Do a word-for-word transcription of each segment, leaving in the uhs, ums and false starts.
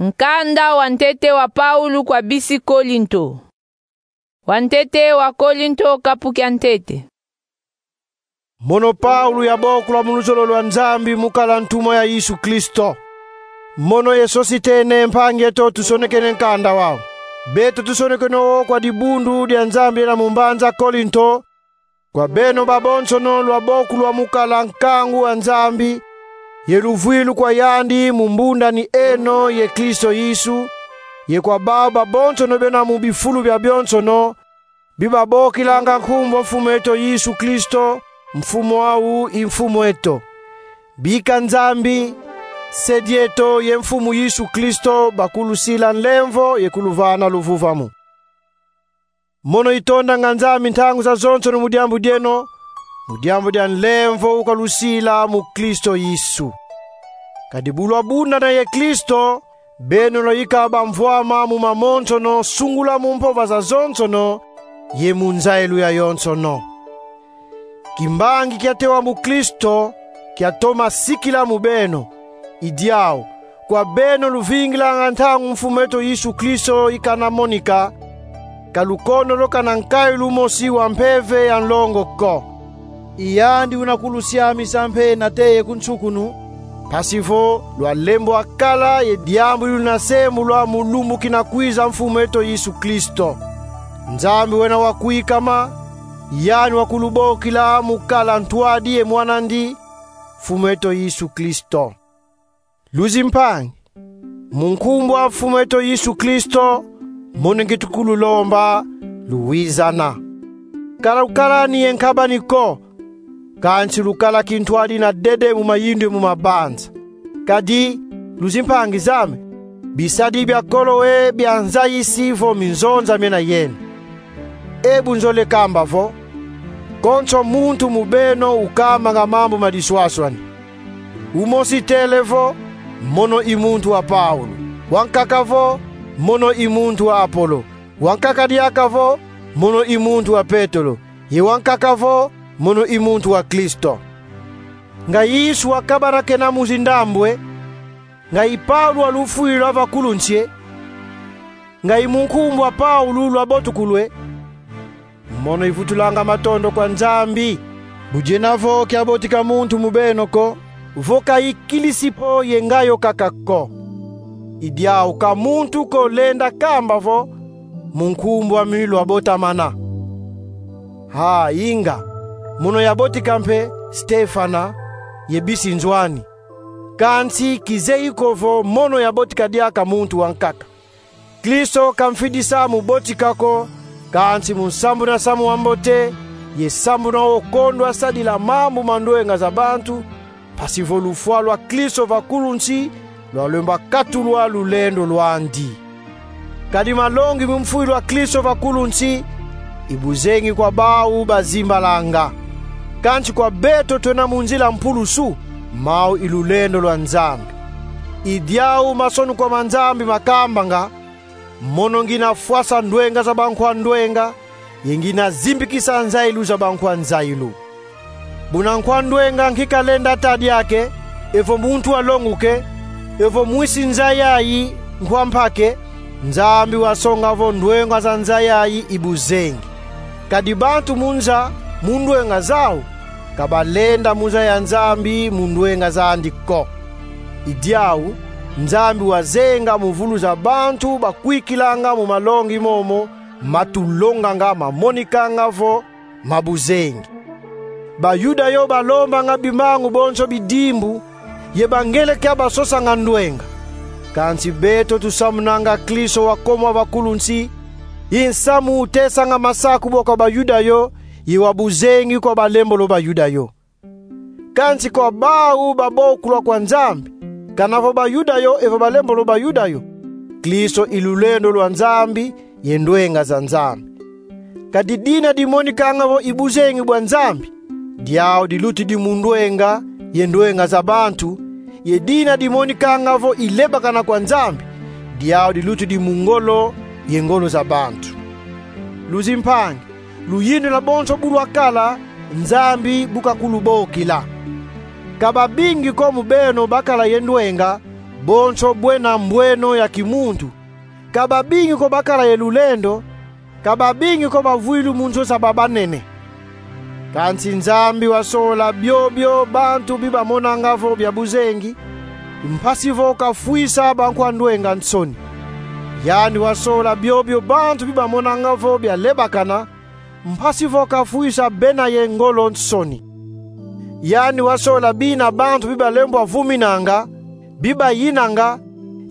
Nkanda wa ntete wa Paulo kwa bisi Kolinto. Wa ntete wa Kolinto, kapu kia ntete. Mono Paulo, yabokulwa mu luzolo lwa Nzambi mu kala ntumwa ya Yesu Kristo. Mono ye Sositene, mpangi eto, tusonekene nkanda wau. Beto tusonekene wo kwa dibundu dia Nzambi ena mu mbanza Kolinto, kwa beno babonsono lwabokulwa mu kala nkangu wa Nzambi, ye luvwilu kwa yandi mu mbundani eno ye Kristo Yesu, ye kwa bau babonsono bena mu bifulu biabionsono, bi babokilanga nkumbu a Mfumu eto Yesu Kristo, Mfumu au i Mfumu eto. Bika Nzambi, Se dieto ye Mfumu Yesu Kristo bakulusila nlemvo ye kuluvana luvuvamu. Mono itondanga Nzambi ntangu zazonsono mu diambu dieno, mu diambu dia nlemvo ukalusila mu Kristo Yesu. Kadi bu lwabundana ye Kristo, beno lwayika bamvwama mu mamonsono, sungula mu mpova zazonsono ye mu nzayilu yayonsono. Kimbangi kiatewa mu Kristo kiatoma sikila mu beno. I diau, kwa beno luvingilanga ntangu Mfumu eto Yesu Kristo ikana monika, ka lukondoloka na nkayilu mosi wa mpeve ya nlongo ko. I yandi una kulusiamisa mpe nate ye ku nsukunu, mpasi vo lwa lembo a kala ye diambu di luna sembulwa mu lumbu kina kwiza Mfumu eto Yesu Kristo. Nzambi wena wakwikama, yandi wakulubokila mu kala ntwadi ye mwan'andi, Mfumu eto Yesu Kristo. Luzimpangi, mu nkumbu a Mfumu eto Yesu Kristo, mono ngieti kululomba, luwizana. Ka lukalani ye nkabani ko, kansi lukala kintwadi na dede mu mayindu ye mu mabanza. Kadi, luzimpangi zame, bisadi bia kolo ye bia nzayisi vo minzonza miena yeno. E bu nzolele kamba vo, konso muntu mu beno ukambanga mambu ma diswaswani. Umosi tele vo, mono i muntu wa Paulo. Wankaka vo, mono i muntu wa Apolo. Wankaka diaka vo, mono i muntu wa Petelo. Ye wankaka vo, mono i muntu wa Kristo. Nga Yesu wakabana kena mu zindambwe, nga i Paulo walufwilwa vakulunsi e, nga i mu nkumbu a Paulo lwabotukulwa e, mono ivutulanga matondo kwa Nzambi. Bu diena vo kiabotika muntu mu beno ko, vo ka i Kirisipo ye nga yo kaka ko. I diau ka muntu ko lenda kamba vo, mu nkumbu ami lwabotamana. Ha, inga, mono yabotika mpe Stefana ye bisi nzo ani. Kansi kizeyi ko vo mono yabotika diaka muntu wankaka. Kristo ka mfidisa mu botika ko, kansi mu sambuna nsamu wa mbote, ye sambuna wo kondwa sadila mambu ma ndwenga za bantu, mpasi vo lufwa lwa Kristo vakulunsi lwalembwa katulwa lulendo lwandi. Kadi malongi mu mfwilu a Kristo vakulunsi, i buzengi kwa bau bazimbalanga. Kansi kwa beto twena mu nzila mpulusu, mau i lulendo lwa Nzambi. I diau masonukwa ma Nzambi makambanga: Mono ngina fwasa ndwenga za bankwa ndwenga, ye ngina zimbikisa nzayilu za bankwa nzayilu. Buna nkwa ndwenga nki kalenda ta diaka, evo muntu alonguka, evo mwisi nza yayi nkwa mpaka, Nzambi wasonga vo ndwenga za nza yayi i buzengi. Kadi bantu mu nza, mu ndwenga zau, ka balenda mu nza ya Nzambi mu ndwenga zandi ko. I diau, Nzambi wazenga mu vuluza bantu bakwikilanga mu malongi momo, matulonganga, mamonikanga vo ma buzengi. Bayuda yo balombanga bimangu bonso bidimbu, ye bangeleka basosanga ndwenga. Kansi beto tusamunanga Kristo wakomwa vakulunsi, i nsamu utesanga masaku bwa kwa Bayuda yo, ye wa buzengi kwa balembolo Bayuda yo. Kansi kwa bau babokulwa kwa Nzambi, kana vo Bayuda yo evo balembolo Bayuda yo, Kristo i lulendo lwa Nzambi ye ndwenga za Nzambi. Kadi dina dimonikanga vo i buzengi bwa Nzambi, diau dilutidi mu ndwenga ye ndwenga za bantu, ye dina dimonikanga vo i lebakana kwa Nzambi, diau dilutidi mu ngolo ye ngolo za bantu. Luzimpangi, luyindula bonso bu lwakala, Nzambi bu kakulubokila. Ka babingi ko mu beno bakala ye ndwenga, bonso bwena mbweno ya kimuntu. Ka babingi ko bakala ye lulendo, ka babingi ko bavwilu mu nzo za babanene. Kansi Nzambi wasola biobio bantu bibamonanga vo bia buzengi, mpasi vo kafwisa bankwa ndwenga nsoni. Yandi wasola biobio bantu bibamonanga vo bia lebakana, mpasi vo kafwisa bena ye ngolo nsoni. Yandi wasola bina bantu bibalembwa vuminanga, bibayinanga,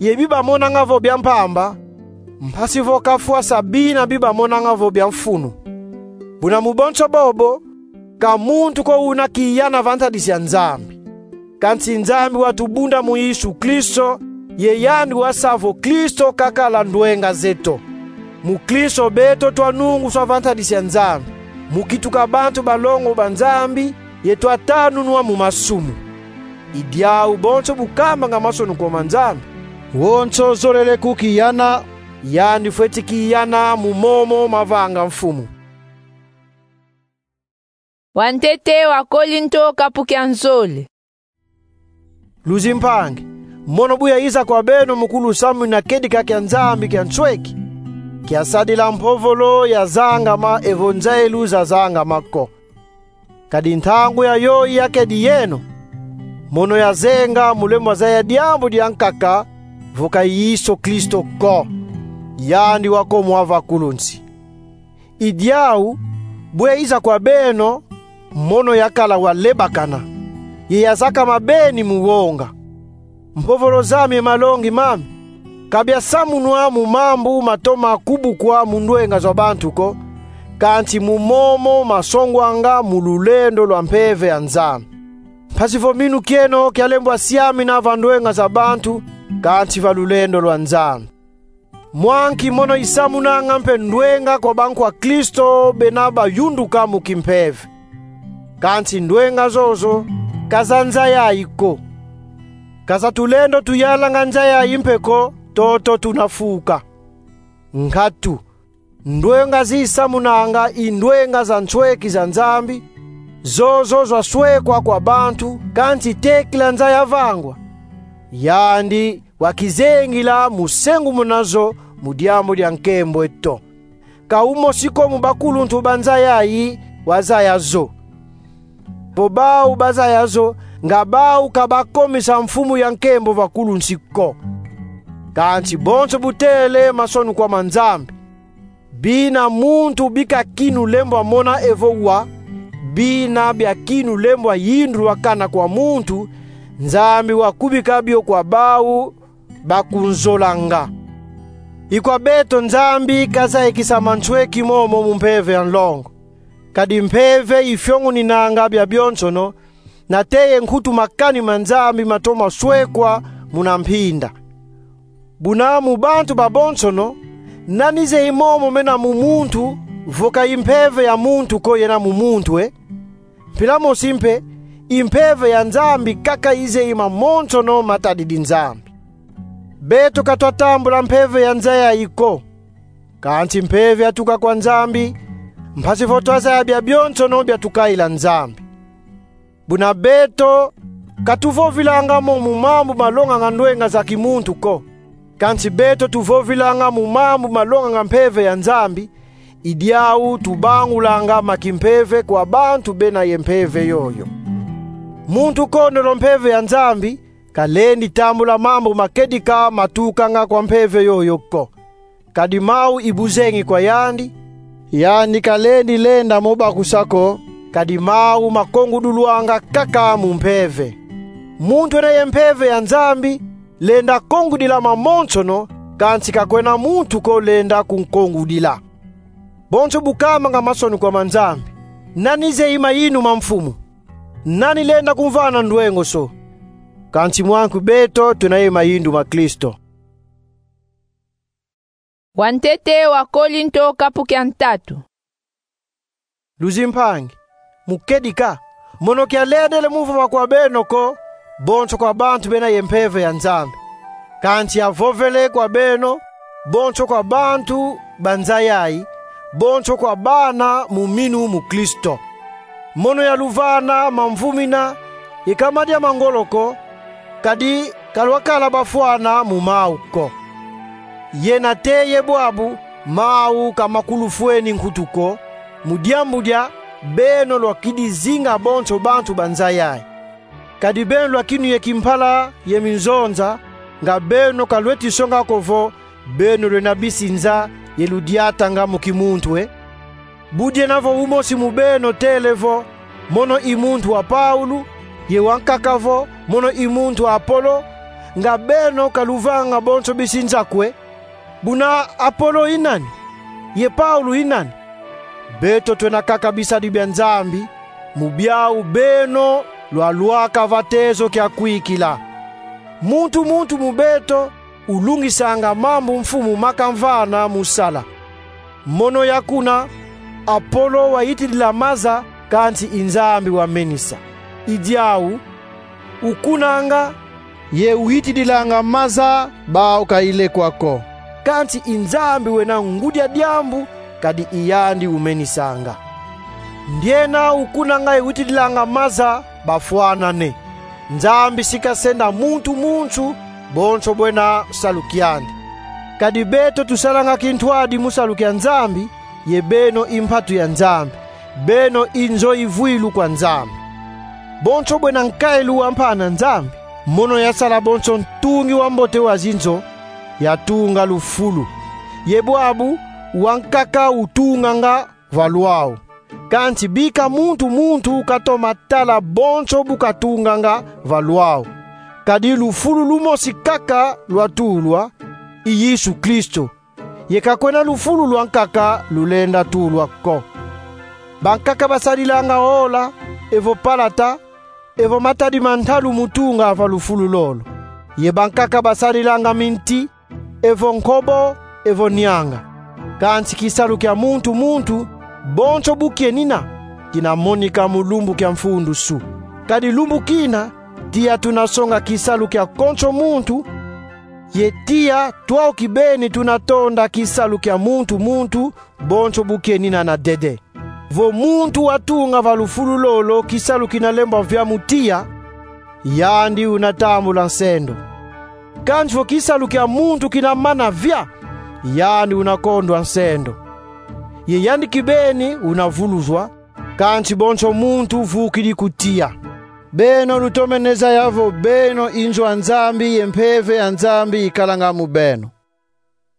ye bibamonanga vo bia mpamba, mpasi vo kafwasa bina bibamonanga vo bia mfunu. Buna mu bonso bobo, ka muntu ko una kiyana va ntadisi ya Nzambi. Kansi Nzambi watubunda mu Yesu Kristo, ye yandi wasa vo Kristo kakala ndwenga zeto. Mu Kristo beto twanunguswa va ntadisi ya Nzambi, mu kituka bantu balongo ba Nzambi, ye twatanunwa mu masumu. I diau bonso bu kamanga masonukwa ma Nzambi, wonso zolele kukiyana, yandi fweti kiyana mu momo mavanga Mfumu. Wantete wa Kolinto, kapu kia nzole. Luzimpangi, mono bu yayiza kwa beno mu kulusamuna kedika kia Nzambi kia nsweki, kiasadila mpovolo yazangama evo nzailu zazangama ko. Kadi ntangu yayoyi yakedi yeno, mono yazenga mu lembo zaya diambu diankaka, vo ka Yesu Kristo ko, yandi wakomwa va kulunsi. I diau, bu yayiza kwa beno, mono yakala wa lebakana, ye yazakama beni mu wonga. Mpovolo zami ye malongi mami, ka biasamunwa mu mambu matoma kubukwa mu ndwenga za bantu ko, kansi mu momo masongwanga mu lulendo lwa mpeve ya Nzambi. Mpasi vo minu kieno kialembwa siamina va ndwenga za bantu, kansi va lulendo lwa Nzambi. Mwa nki mono isamunanga mpe ndwenga kwa bankwa Kristo bena bayunduka mu kimpeve. Kansi ndwenga zozo, ka za nza yayi ko. Ka za tulendo tuyalanga nza yayi mpe ko, toto tuna fuka. Nkatu, ndwenga zisamunanga i ndwenga za nsweki za Nzambi, zozo zaswekwa kwa bantu, kansi tekila nza yavangwa. Yandi wakizengila mu sengumuna zo mu diambu dia nkembo eto. Ka umosi ko mu bakuluntu ba nza yayi wazaya zo. Vo bau bazaya zo, nga bau ka bakomisa Mfumu ya nkembo va kulunsi ko. Kansi bonso bu tele masonukwa ma Nzambi. Bina muntu bika kinu lembwa mona evo wa, bina bia kinu lembwa yindulwa kana kwa muntu, Nzambi wakubika bio kwa bau bakunzolanga. I kwa beto Nzambi kazayikisa mansweki momo mu mpeve ya nlongo. Kadi mpeve ifionguninanga bia bionsono, nate ye nkutu makani ma Nzambi matoma swekwa muna mpinda. Buna mu bantu babonsono, nani zeyi momo mena mu muntu, vo ka i mpeve ya muntu ko yena mu muntu, e? Mpila mosi mpe, i mpeve ya Nzambi kaka izeyi mamonsono matadidi Nzambi. Beto ka twatambula mpeve ya nza yayi ko, kansi mpeve yatuka kwa Nzambi, mpasi vo twazaya bia bionsono biatukayila Nzambi. Buna beto, ka tuvovilanga mo mu mambu malonganga ndwenga za kimuntu ko, kansi beto tuvovilanga mu mambu malonganga mpeve ya Nzambi, i diau tubangulanga ma kimpeve kwa bantu bena ye mpeve yoyo. Muntu kondolo mpeve ya Nzambi, kalendi tambula mambu ma kedika matukanga kwa mpeve yoyo ko. Kadi mau i buzengi kwa yandi, yandi kalendi lenda mo bakusa ko, kadi mau makongudulwanga kaka mu mpeve. Muntu ena ye mpeve ya Nzambi lenda kongudila mamonsono, kansi ka kwena muntu ko lenda kunkongudila. Bonso bu kamanga masonukwa ma Nzambi, nani zeyi mayindu ma Mfumu? Nani lenda kumvana ndwengoso? Kansi mwanku beto tuna ye mayindu ma Kristo. Wantete wa Kolinto, kapu kia ntatu. Luzimpangi, mu kedika, mono kialendele mu vova kwa beno ko, bonso kwa bantu bena ye mpeve ya Nzambi. Kansi yavovele kwa beno, bonso kwa bantu ba nza yayi, bonso kwa bana mu minu mu Kristo. Mono yaluvana mamvumina, ye ka madia ma ngolo ko, kadi ka lwakala bafwana mu mau ko. Yena te ye bwabu mau ka makulufweni nkutu ko, mu diambu dia beno lwakidi zinga bonso bantu ba nza yayi. Kadi beno lwakinu ye kimpala ye minzonza, nga beno ka lweti songa ko vo beno lwena bisi nza ye ludiatanga mu kimuntu, e? Bu diena vo umosi mu beno tele vo: Mono i muntu a Paulo, ye wankaka vo: Mono i muntu a Apolo, nga beno ka luvanga bonso bisi nza ko, e? Buna Apolo i nani? Ye Paulo i nani? Beto twena kaka bisadi bya Nzambi, mu byau beno lwalwaka va tezo kya kwikila. Muntu muntu mu beto ulungisanga mambu Mfumu makamvana mu sala. Mono ya kuna, Apolo wayitidila maza, kansi i Nzambi wamenisa. I dyau, ukunanga, ye uyitidilanga maza, bau ka ile kwa ko. Kansi i Nzambi wena ngudi a dyambu, kadi i yandi umenisanga. Ndiena ukunanga ye uyitidilanga maza bafwanane. Nzambi si kasenda muntu muntu bonso bwena salu kyandi. Kadi beto tusalanga kintwadi mu salu kya Nzambi, ye beno i mpatu ya Nzambi, beno i nzo ivwilu kwa Nzambi. Bonso bwena nkailu wa mpana Nzambi, mono yasala bonso ntungi wa mbote wa zinzo, yatunga lufulu. Ye bwabu, wankaka utunganga va lwau. Kansi bika muntu muntu katoma tala bonso bu katunganga va lwau. Kadi lufulu lumosi kaka lwatulwa, i Yesu Kristo. Ye ka kwena lufulu lwankaka lulenda tulwa ko. Bankaka basadilanga ola, evo palata, evo matadi ma ntalu mu tunga va lufulu lolo. Ye bankaka basadilanga minti, evo nkobo, evo nianga. Kansi kisalu kya muntu muntu, bonso bu kyenina, kina monika mu lumbu kya mfundusu. Kadi lumbu kina, tiya tuna songa kisalu kya konso muntu, ye tiya twau kibeni tuna tonda kisalu kya muntu muntu, bonso bu kyenina na dede. Vo muntu watunga va lufulu lolo kisalu kina lembwa vya mu tiya, yandi una tambula nsendo. Kansi vo kisalu kya muntu kina mana vya, yandi una kondwa nsendo. Ye yandi kibeni una vuluzwa, kansi bonso muntu vukidi ku tiya. Beno lutomene zaya vo beno i nzo a Nzambi ye Mpeve ya Nzambi ikalanga mu beno.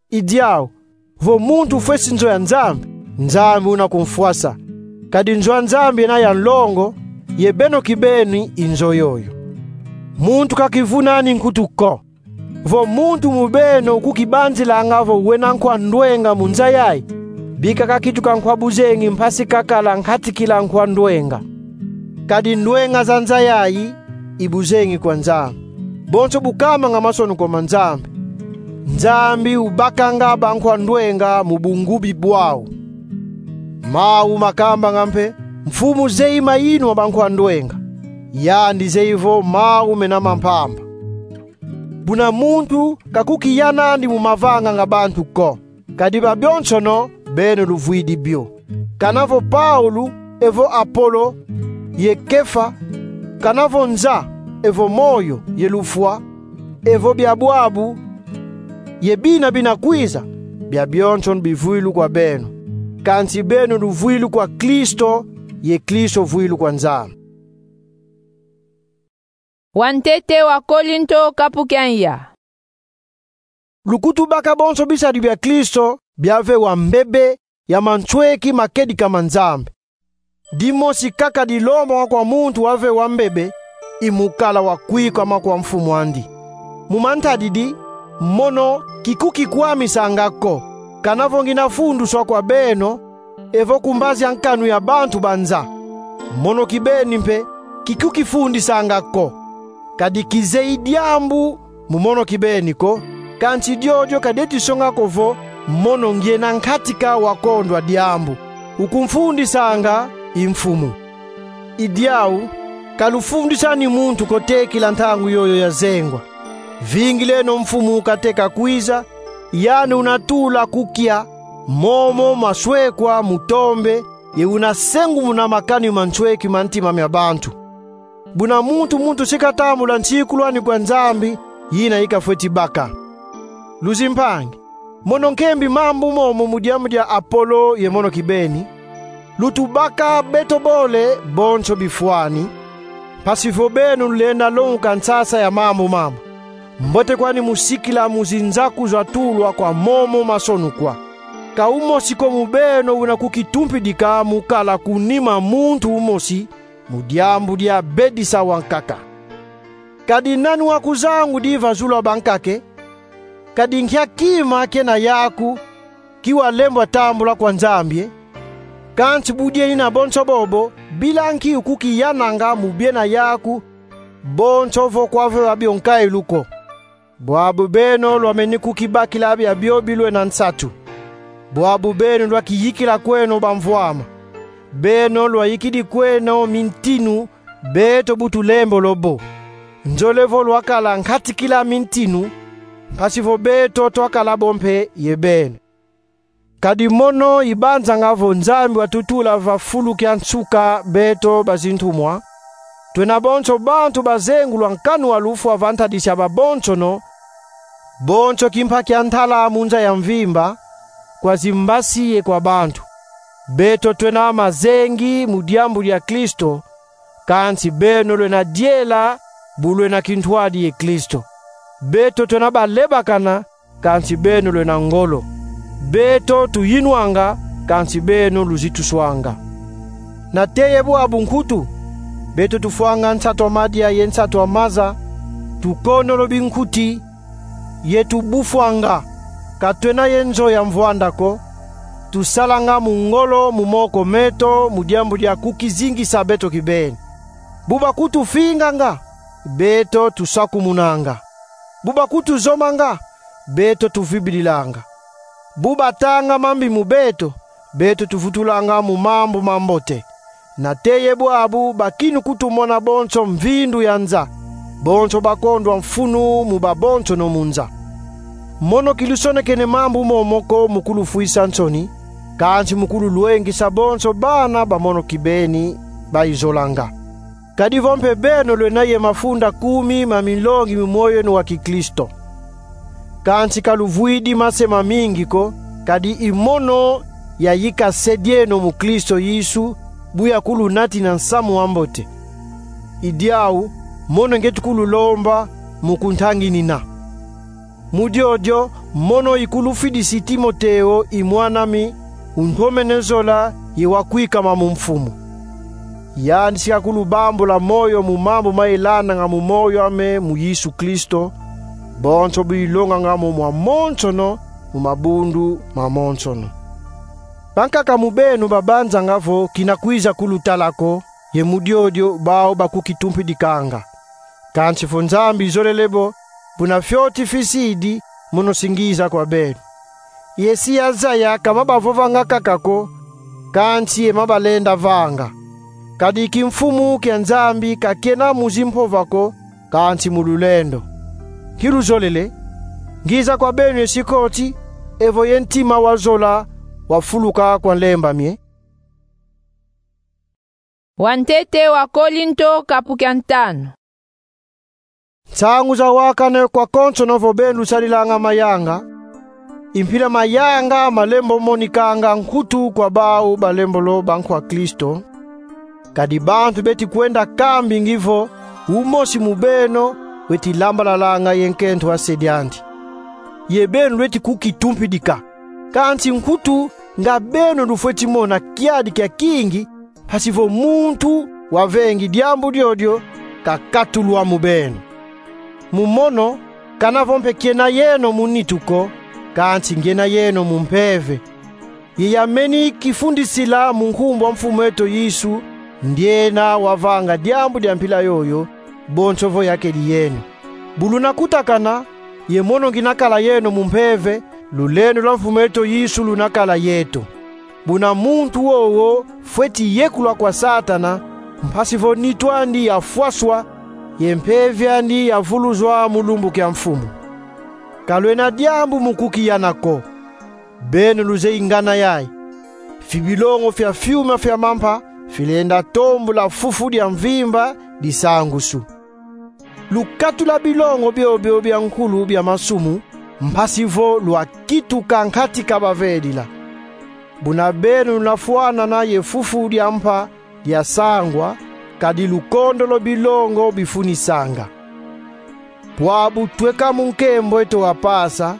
I dyau, vo muntu ufwesi nzo ya Nzambi, Nzambi una kumfwasa. Kadi nzo a Nzambi yena ya nlongo, ye beno kibeni i nzo yoyo. Muntu ka kivunani nkutu ko. Vo muntu mu beno ukukibanzilanga vo wena nkwa ndwenga mu nza yayi, bika kakituka nkwa buzengi mpasi kakala nkatikila nkwa ndwenga. Kadi ndwenga za nza yayi i buzengi kwa Nzambi. Bonso bu kamanga masonukwa ma Nzambi: Nzambi ubakanga bankwa ndwenga mu bungubi bwau. Mau makambanga mpe: Mfumu zeyi mayinwa ma bankwa ndwenga. Yandi zeyi vo mau mena ma mpamba. Buna muntu ka kukiyanandi mu mavanga nga bantu ko. Kadi babyonsono beno luvwidi byo. Kana vo Paulo, evo Apolo, ye Kefa, kana vo nza, evo moyo, ye lufwa, evo bya bwabu, ye bina bina kwiza, byabyonsono bivwilu kwa beno. Kansi beno luvwilu kwa Kristo, ye Kristo vwilu kwa Nzambi. Wantete wa Kolinto, kapu kya nya. Lukutubaka bonso bisadi bya Kristo bya vewa mbebe ya mansweki makedika ma Nzambi. Dimosi kaka dilomba kwa muntu wa vewa mbebe i mu kala wa kwikama kwa mfumu andi. Mu mantadidi, mono kikukikwamisanga ko. Kana vo ngina funduswa kwa beno, evo ku mbazi a nkanu ya bantu ba nza, mono kibeni mpe kikukifundisanga ko. Kadi kizeyi dyambu mu mono kibeni ko, kansi dyodyo ka dyeti songa ko vo mono ngyena nkatika wa kondwa dyambu. Ukumfundisanga i Mfumu. I dyau, ka lufundisani muntu ko tekila ntangu yoyo ya zengwa. Vingileno Mfumu kateka kwiza, yandi una tula ku kya, momo maswekwa mu tombe, ye una sengumuna makani mansweki ma ntima mya bantu. Buna muntu muntu si katambula nsikulwani kwa Nzambi, yina ikafweti baka. Luzimpangi, mono nkembi mambu momo mu diambu dia Apolo ye mono kibeni, lutubaka beto bole bonso bifwani, mpasi vo beno lulenda longuka nsasa ya mambu mama. Mbote kwani mu sikila mu zinzaku zatulwa kwa momo masonukwa. Ka umosi ko mu beno una kukitumpidika mu kala ku nima muntu umosi mu diambu dia bedisa wankaka. Kadi nani wa kuzangu diva zulu a bankaka e? Kadi nkia kima kena yaku ki walembwa tambula kwa Nzambi e? Kansi bu diena bonso bobo, bila nki ukukiyananga mu biena yaku bonso vo kwa veva bio nkailu ko? Bwabu beno lwameni kukibakila biabio bilwena nsatu. Bwabu beno lwakiyikila kweno bamvwama. Beno lwayikidi kweno mintinu beto bu tulembolo bo. Nzole vo lwakala nkatikila mintinu, mpasi vo beto twakala bo mpe ye beno. Kadi mono ibanzanga vo Nzambi watutula va fulu kia nsuka beto bazintumwa, twena bonso bantu bazengulwa nkanu wa lufwa va ntadisi ya babonsono, bonso kimpa kia ntala mu nza ya mvimba, kwa zimbasi ye kwa bantu. Beto twena mazengi mu diambu dia Kristo, kansi beno lwena diela bu lwena kintwadi ye Kristo. Beto twena balebakana, kansi beno lwena ngolo. Beto tuyinwanga, kansi beno luzituswanga. Nate ye bwabu nkutu, beto tufwanga nsatu a madia ye nsatu a maza, tukondolo binkuti, ye tubufwanga. Ka twena ye nzo ya mvwanda ko, tusalanga mu ngolo mu moko meto mu diambu dia kukizingisa beto kibeni. Bu bakutufinganga, beto tusakumunanga. Bu bakutuzomanga, beto tuvibililanga. Bu batanga mambi mu beto, beto tuvutulanga mu mambu mambote. Nate ye bwabu, bakinu kutumona bonso mvindu ya nza, bonso bakondwa mfunu mu babonsono mu nza. Mono kilusonekene mambu momo ko mu kulufwisa nsoni, kansi mu kululwengisa bonso bana ba mono kibeni bayizolanga. Kadi vo mpe beno lwena ye mafunda kumi ma minlongi mi moyo yeno wa kiKristo, kansi ka luvwidi mase mamingi ko, kadi i mono yayika se dieno mu Kristo Yesu, bu yakulunatina nsamu wa mbote. I diau mono ngieti kululomba mu kuntanginina. Mu diodio mono ikulufidisi Timoteo, i mwan'ami, untomene zola ye wa kwikama mu Mfumu. Yandi si kakulubambula moyo mu mambu mayilandanga mu moyo ame mu Yesu Kristo, bonso bu ilonganga mo mwamonsono mu mabundu mamonsono. Bankaka mu beno babanzanga vo kina kwiza kulutala ko, ye mu diodio bau bakukitumpidikanga. Kansi vo Nzambi izolele bo, buna fioti fisidi, mono si ngiza kwa beno. Ye si yazaya ka mabavovanga kaka ko, kansi ye mabalenda vanga. Kadi kimfumu kia Nzambi ka kiena mu zimpova ko, kansi mu lulendo. Nki luzolele? Ngiza kwa beno ye sikoti, evo ye ntima wa zola wafuluka kwa nlemba mie? Wantete wa Kolinto, kapu kia ntanu. Nsangu zawakane kwa konsono vo beno lusadilanga mayanga, i mpila mayanga malembo monikanga nkutu kwa bau balembolo bankwa Kristo. Kadi bantu beti kwenda kambingi vo umosi mu beno weti lambalalanga ye nkento a se diandi. Ye beno lweti kukitumpidika. Kansi nkutu nga beno lufweti mona kiadi kia kingi, mpasi vo muntu wavengi diambu diodio kakatulwa mu beno. Mu mono, kana vo mpe kiena yeno mu nitu ko, kansi ngiena yeno mu mpeve. Ye yameni kifundisila mu nkumbu a Mfumu eto Yesu, ndiena wavanga diambu dia mpila yoyo, bonso vo yakedi yeno. Bu luna kutakana, ye mono ngina kala yeno mu mpeve, lulendo lwa Mfumu eto Yesu luna kala yeto. Buna muntu wowo fweti yekulwa kwa Satana, mpasi vo nitu andi yafwaswa, ye mpeve andi yavuluzwa mu lumbu kia Mfumu. Ka lwena diambu mu kukiyana ko. Beno luzeyi ngana yayi. Fibilongo fia fiuma fia mampa filenda tombula fufu dia mvimba disangusu. Lukatula bilongo biobio bia nkulu bia masumu, mpasi vo lwakituka nkati ka bavedila. Buna beno luna fwanana ye fufu dia mpa dia sangwa, kadi lukondolo bilongo bifunisanga. Bwabu tweka mu nkembo eto wa pasa,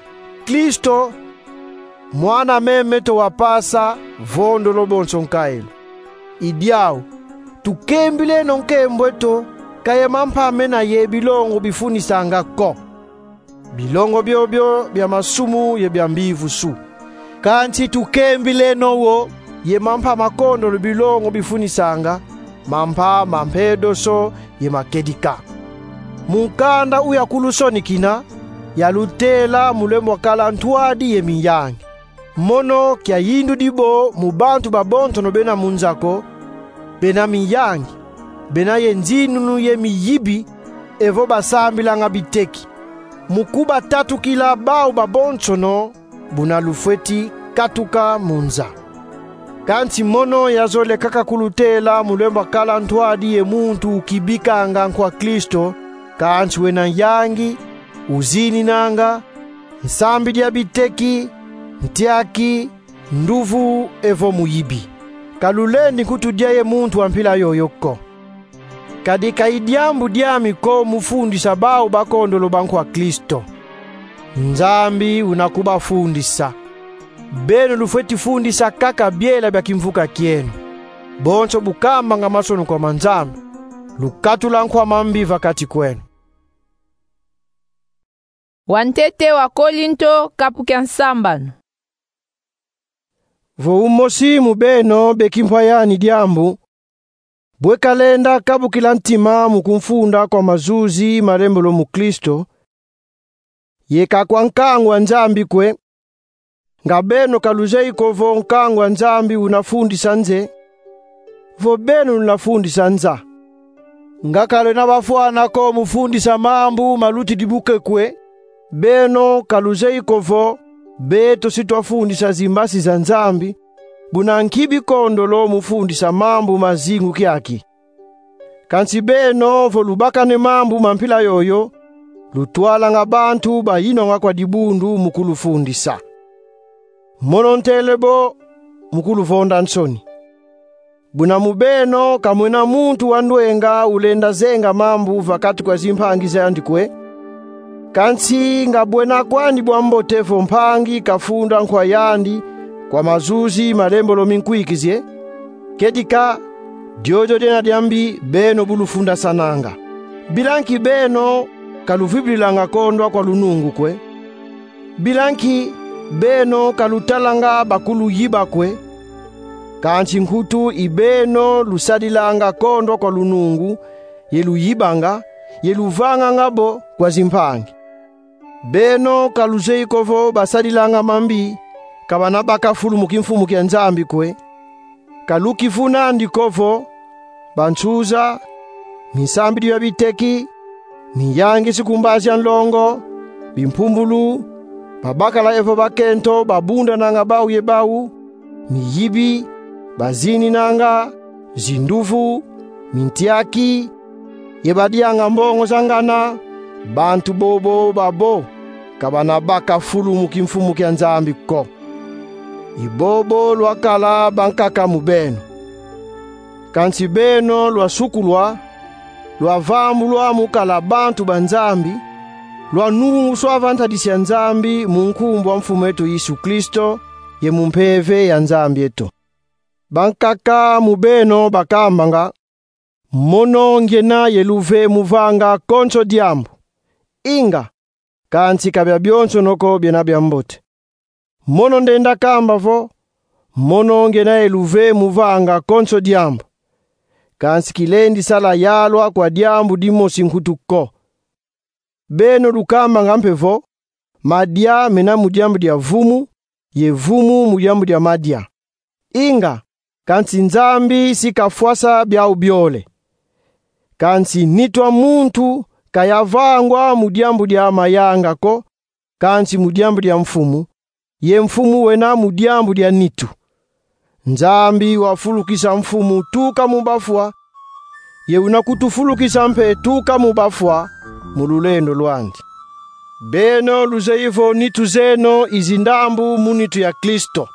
Kristo, mwana meme eto wa pasa, vondolo bonso nkaelo. I diau, tukembileno nkembo eto, ka ye mampa mena ye bilongo bifunisanga ko. Bilongo biobio bia masumu ye bia mbivusu. Kansi tukembileno wo ye mampa makondolo bilongo bifunisanga, mampa ma mpedoso ye ma kedika. Mu nkanda uya kulusonikina, yalutela mu lembwakala ntwadi ye miyangi. Mono kiayindudi bo mu bantu babonsono bena mu nza ko, bena miyangi, bena ye nzinunu ye miyibi, evo basambilanga biteki. Mu kubatatukila bau babonsono, buna lufweti katuka mu nza. Kansi mono yazole kaka kulutela mu lembwakala ntwadi ye muntu ukibikanga nkwa Kristo, kansi wena nyangi, uzininanga, nsambidi ya biteki, ntiaki, nduvu evo muyibi. Ka lulendi nkutu dia ye muntu wa mpila yoyo ko. Kadi ka i diambu diami ko mu fundisa bau bakondolo ba nkwa Kristo. Nzambi una kubafundisa. Beno lufweti fundisa kaka biela bia kimvuka kieno. Bonso bu kambanga mansoni kwa ma Nzambi, lukatula nkwa mambi va kati kweno. Wa ntete wa Kolinto, kapu kia nsambanu. Vo umosi mu beno be kimpwa yani diambu, bwe kalenda kabukila ntima mu kumfunda kwa mazuzi malembolo mu Kristo, ye ka kwa nkangu a Nzambi kwe, nga beno ka luzeye ko vo nkangu a Nzambi una fundisa nze, vo beno luna fundisa nza. Nga ka lwena bafwana ko mu fundisa mambu malutidi buke kwe, beno ka luzeye ko vo beto si twafundisa zimbasi za Nzambi, buna nki bikondolo mu fundisa mambu ma zingu kiaki. Kansi beno vo lubakane mambu ma mpila yoyo, lutwalanga bantu bayinwanga kwa dibundu mu kulufundisa. Mono ntele bo mu kuluvonda nsoni. Buna mu beno ka mwena muntu wa ndwenga ulenda zenga mambu va kati kwa zimpangi zandi kwe. Kansi nga bwena kwandi bwa mbote vo mpangi kafunda nkwa yandi kwa mazuzi malembolo minkwikizi e, kedika, diodio diena diambi beno bu lufundasananga. Bila nki beno ka luvwibidilanga kondwa kwa lunungu kwe. Bila nki beno ka lutalanga bakuluyiba kwe. Kansi nkutu i beno lusadilanga kondwa kwa lunungu, ye luyibanga, ye luvanganga bo kwa zimpangi. Beno ka luzeye ko vo basadilanga mambi, ka bana baka fulu mu kimfumu kia Nzambi kwe. Ka lukivunandi ko vo bansuza, minsambidi ya biteki, miyangisu ku mbazi a nlongo, bimpumbulu, babakala evo bakento babundananga bau ye bau, miyibi, bazininanga, zinduvu, mintiaki, ye badianga mbongo za ngana, bantu bobo babo ka bana baka fulu mu kimfumu kia Nzambi ko. I bobo lwakala bankaka mu beno. Kansi beno lwasukulwa, lwavambulwa mu kala bantu ba Nzambi, lwanunguswa va ntadisi ya Nzambi mu nkumbu a Mfumu eto Yesu Kristo, ye mu Mpeve ya Nzambi eto. Bankaka mu beno bakambanga: Mono ngiena ye luve mu vanga konso diambu. Inga, kansi ka biabionsono ko biena biambote. Mono ndenda kamba vo: Mono ngiena ye luve mu vanga konso diambu. Kansi kilendi sala yalwa kwa diambu dimosi nkutu ko. Beno lukambanga mpe vo: Madia mena mu diambu dia vumu, ye vumu mu diambu dia madia. Inga, kansi Nzambi si kafwasa biau biole. Kansi nitu a muntu ka yavangwa mu diambu dia mayanga ko, kansi mu diambu dia Mfumu, ye Mfumu wena mu diambu dia nitu. Nzambi wafulukisa Mfumu tuka mu bafwa, ye una kutufulukisa mpe tuka mu bafwa, mu lulendo lwandi. Beno luzeyi vo nitu zeno i zindambu mu nitu ya Kristo.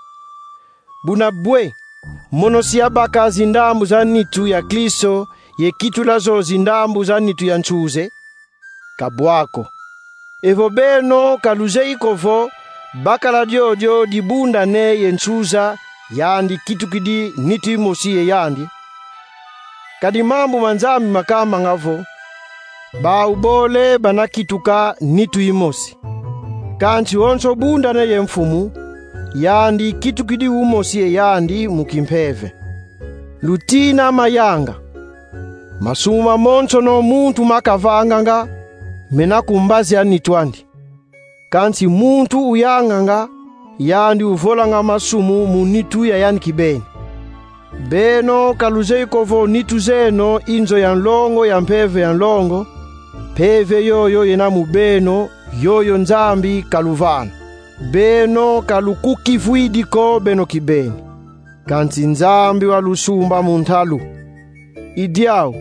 Buna bwe, mono si yabaka zindambu za nitu ya Kristo ye kitula zo zindambu za nitu ya nsuze? Ka bwa ko. Evo beno ka luzeyi ko vo bakala diodio dibundane ye nsuza, yandi kitukidi nitu imosi ye yandi? Kadi mambu ma Nzambi makambanga vo: Bau bole bana kituka nitu imosi. Kansi wonso bundane ye Mfumu, yandi kitukidi umosi ye yandi mu kimpeve. Lutina mayanga. Masumu mamonsono muntu makavanganga mena ku mbazi a nitu andi. Kansi muntu uyanganga, yandi uvolanga masumu mu nitu ya yandi kibeni. Beno ka luzeyi ko vo nitu zeno i nzo ya nlongo ya mpeve ya nlongo? Mpeve yoyo yena mu beno, yoyo Nzambi kaluvana. Beno ka lukukivwidi ko beno kibeni, kansi Nzambi walusumba mu ntalu. I diau,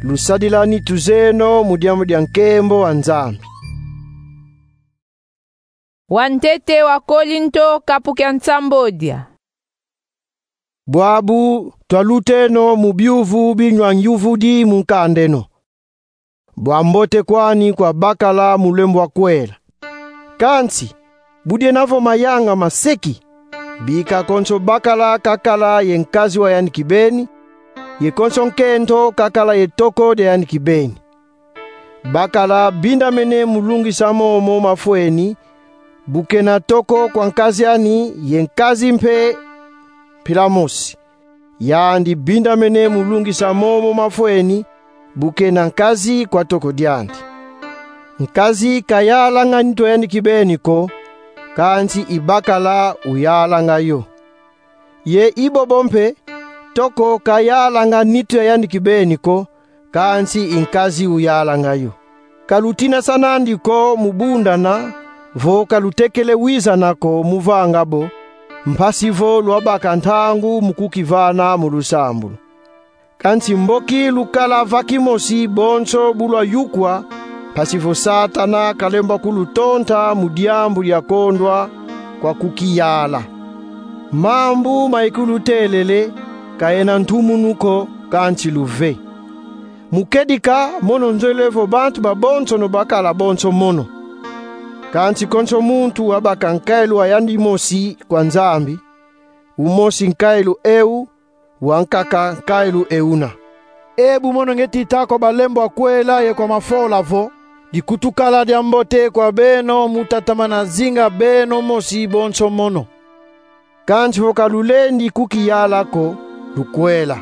lusadila nitu zeno mu diambu dia nkembo wa Nzambi. Wantete wa Kolinto, kapu kia nsambodia. Bwabu twaluteno mu biuvu binwa nyuvudi mu nkanda eno. Bwa mbote kwani kwa bakala mu lembo wa kwela. Kansi, bu diena vo mayanga maseki, bika konso bakala kakala ye nkazi wa yandi kibeni, ye konso nkento kakala ye toko dia yandi kibeni. Bakala bindamene mu lungisa momo mafweni, bu kena toko kwa nkazi ani, ye nkazi mpe mpila mosi. Yandi bindamene mu lungisa momo mafweni, bu kena nkazi kwa toko diandi. Nkazi ka yalanga nitu a yandi kibeni ko, kansi i bakala uyalanga yo. Ye i bobo mpe, toko ka yalanga nitu ya yandi kibeni ko, kansi i nkazi uyalanga yo. Ka lutinasana andi ko mu bundana, vo ka lutekele wizana ko mu vanga bo, mpasi vo lwabaka ntangu mu kukivana mu lusambulu. Kansi mboki lukala va kimosi bonso bu lwayukwa, mpasi vo Satana kalemba kulutonta mu diambu dia kondwa kwa kukiyala. Mambu ma ikulutelele ka yena ntumunu ko, kansi luve. Mu kedika, mono nzolele vo bantu babonsono bakala bonso mono. Kansi konso muntu wabaka nkailu wa yandi mosi kwa Nzambi, umosi nkailu eu, wankaka nkailu euna. E bu mono ngieti ta kwa balembo wa kwela ye kwa mafola vo: dikutukala diambote kwa beno mu tatamana zinga beno mosi bonso mono. Kansi vo ka lulendi kukiyala ko, lukwela.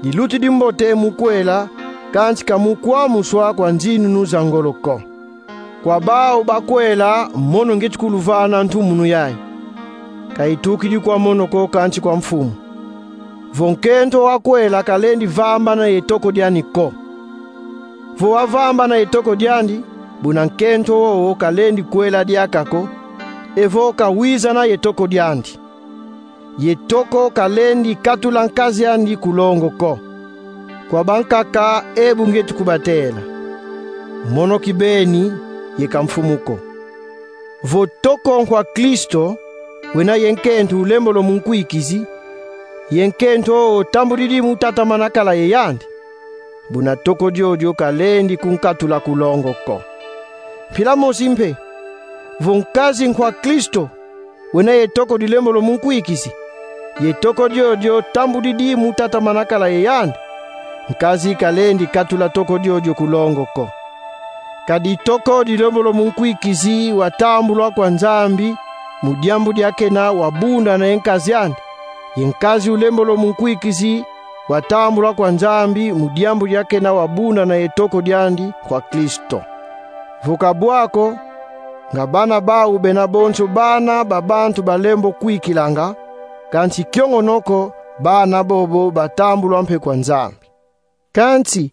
Dilutidi mbote mu kwela, kansi ka mu kwamuswa kwa nzinunu za ngolo ko. Kwa bau bakwela, mono ngieti kuluvana ntumunu yayi. Ka itukidi kwa mono ko, kansi kwa Mfumu. Vo nkento wa kwela kalendi vambana ye toko diani ko. Vo wavambana ye toko diandi, buna nkento wowo kalendi kwela diaka ko, evo ka wizana ye toko diandi. Ye toko kalendi katula nkazi andi ku longo ko. Kwa bankaka e bu ngieti kubatela. Mono kibeni, ye ka Mfumu ko. Vo toko nkwa Kristo, wena ye nkento ulembolo mu nkwikizi, ye nkento tambudidi mu tatamana kala ye yandi, buna toko diodio kalendi kunkatula ku longo ko. Mpila mosi mpe, vo nkazi nkwa Kristo, wena ye toko dilembolo mu nkwikizi, ye toko diodio tambudidi mu tatamana kala ye yandi, nkazi kalendi katula toko diodio ku longo ko. Kadi toko dilembolo mu nkwikizi watambulwa kwa Nzambi mu diambu dia kena wabundana ye nkazi andi, ye nkazi ulembolo mu nkwikizi watambulwa kwa Nzambi mu diambu dia kena wabundana ye toko diandi kwa Kristo. Vo ka bwa ko, nga bana bau bena bonso bana ba bantu balembo kwikilanga, kansi kiongono ko, bana bobo batambulwa mpe kwa Nzambi. Kansi,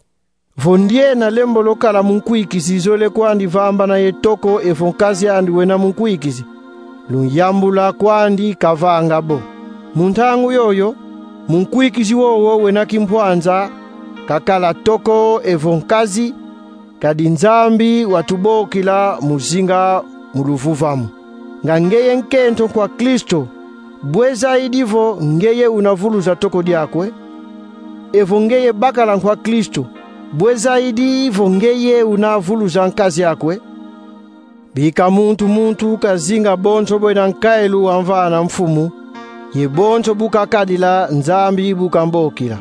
vo ndiena lembolo kala mu nkwikizi zole kwandi vambana ye toko evo nkazi andi wena mu nkwikizi, lunyambula kwandi kavanga bo. Mu ntangu yoyo, mu nkwikizi wowo wena kimpwanza, kakala toko evo nkazi, Kadi Nzambi watubokila mu zinga mu luvuvamu. Nga ngeye nkento kwa Kristo, bwe zaidi vo ngeye una vuluza toko diakwe? Evo ngeye bakala nkwa Kristo, bwe zaidi vo ngeye una vuluza nkazi akwe? Bika muntu muntu kazinga bonso bwena nkailu wamvana Mfumu, ye bonso bu kakadila Nzambi bu kambokila.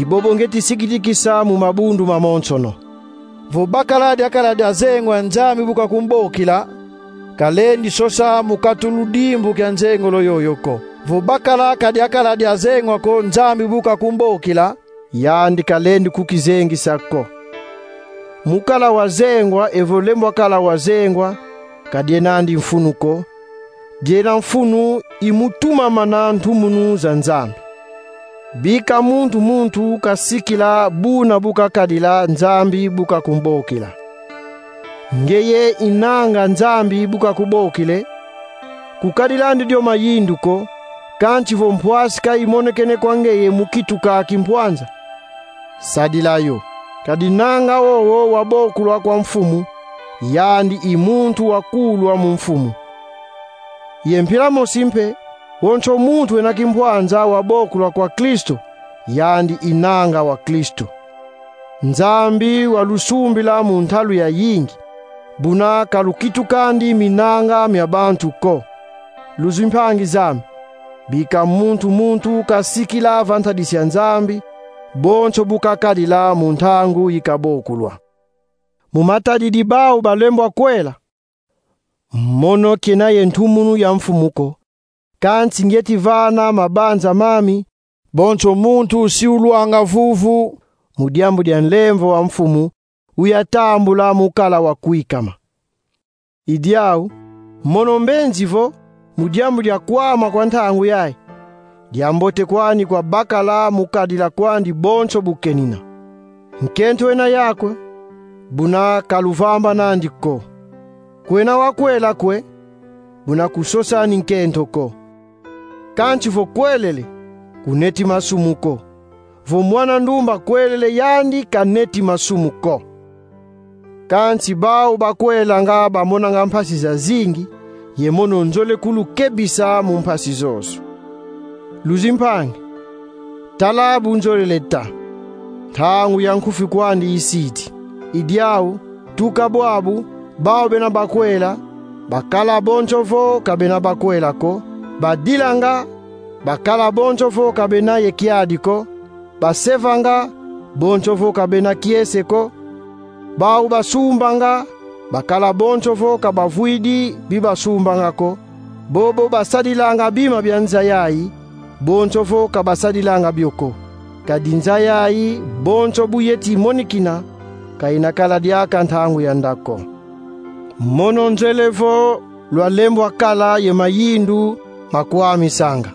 I bobo ngieti sikitikisa mu mabundu mamonsono. Vo bakala diakala dia zengwa Nzambi bu kakumbokila, kalendi sosa mu kati ludimbu kia nzengolo yoyo ko. Vo bakala ka diakala dia zengwa ko Nzambi bu kakumbokila, yandi kalendi kukizengisa ko. Mu kala wazengwa evo lembwa kala wazengwa, ka dienandi mfunu ko. Diena mfunu i mu tumamana ntumunu za Nzambi. Bika muntu muntu kasikila buna bu kakadila Nzambi bu kakumbokila. Ngeye inanga Nzambi bu kakubokile, kukadilandi dio mayindu ko, kansi vo mpwasi ka imonekene kwa ngeye mu kituka ki mpwanza, sadila yo. Kadi nanga wowo wabokulwa kwa Mfumu, yandi i muntu wakulwa mu Mfumu. Ye mpila mosi mpe, wonso muntu wena kimpwanza wabokulwa kwa Kristo, yandi inanga wa Kristo. Nzambi walusumbila mu ntalu yayingi, buna ka lukitukandi minanga mia bantu ko. Luzimpangi zame, bika muntu muntu kasikila va ntadisi ya Nzambi bonso bu kakadila mu ntangu yi kabokulwa. Mu matadidi bau balembwa kwela, mono kena ye ntumunu ya Mfumu ko, kansi ngieti vana mabanza mami: bonso muntu si ulwanga vuvu mu diambu dia nlemvo wa Mfumu, uyatambula mu kala wakwikama. I diau, mono mbenzi vo, mu diambu dia kwama kwa ntangu yayi, diambote kwani kwa bakala mu kadila kwandi bonso bu kenina. Nkento wena yakwe, buna ka luvambanandi ko. Kwena wakwela kwe, buna kusosani nkento ko. Kansi vo kwelele, kuneti masumu ko. Vo mwana ndumba kwelele, yandi kaneti masumu ko. Kansi bau bakwelanga bamonanga mpasi zazingi, ye mono nzole kulukebisa mu mpasi zozo. Luzimpangi, tala bu nzolele ta: ntangu ya nkufi kwandi isidi. I diau, tuka bwabu, bau bena bakwela, bakala bonso vo ka bena bakwela ko. Badilanga, bakala bonso vo ka bena ye kiadi ko. Basevanga, bonso vo ka bena kiese ko. Bau basumbanga, bakala bonso vo ka bavwidi bi basumbanga ko. Bobo basadilanga bima bia nza yayi, bonso vo ka basadilanga bio ko. Kadi nza yayi, bonso bu yeti monikina, ka ina kala diaka ntangu ya nda ko. Mono nzele vo lwalembwa kala ye mayindu ma kwamisanga.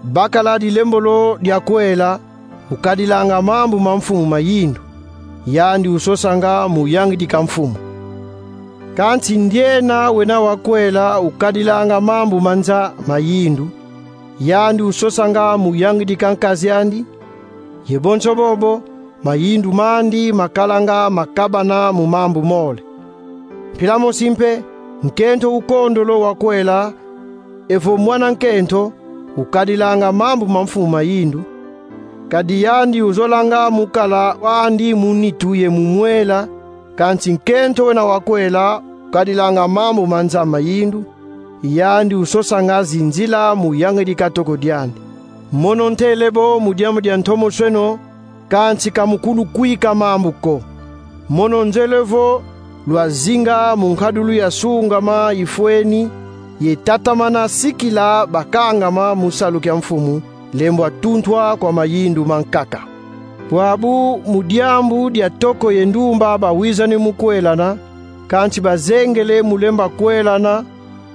Bakala dilembolo dia kwela, ukadilanga mambu ma Mfumu mayindu, yandi usosanga mu yangidika Mfumu. Kansi ndiena wena wakwela ukadilanga mambu ma nza mayindu, yandi usosanga mu yangidika nkazi andi, ye bonso bobo, mayindu mandi makalanga makabana mu mambu mole. Mpila mosi mpe, nkento ukondolo wakwela, evo mwana nkento, ukadilanga mambu ma Mfumu mayindu, kadi yandi uzolanga mu kala wandi mu nitu ye mu mwela, kansi nkento wena wakwela ukadilanga mambu ma nza mayindu, yandi usosanga zinzila mu yangidika toko diandi. Mono ntele bo mu diambu dia ntomosweno, kansi ka mu kulukwika mambu ko. Mono nzele vo lwazinga mu nkadulu ya sungama ifweni, ye tatamana sikila bakangama mu salu kia Mfumu, lembwa tuntwa kwa mayindu mankaka. Bwabu mu diambu dia toko ye ndumba bawizani mu kwelana, kansi bazengele mu lemba kwelana,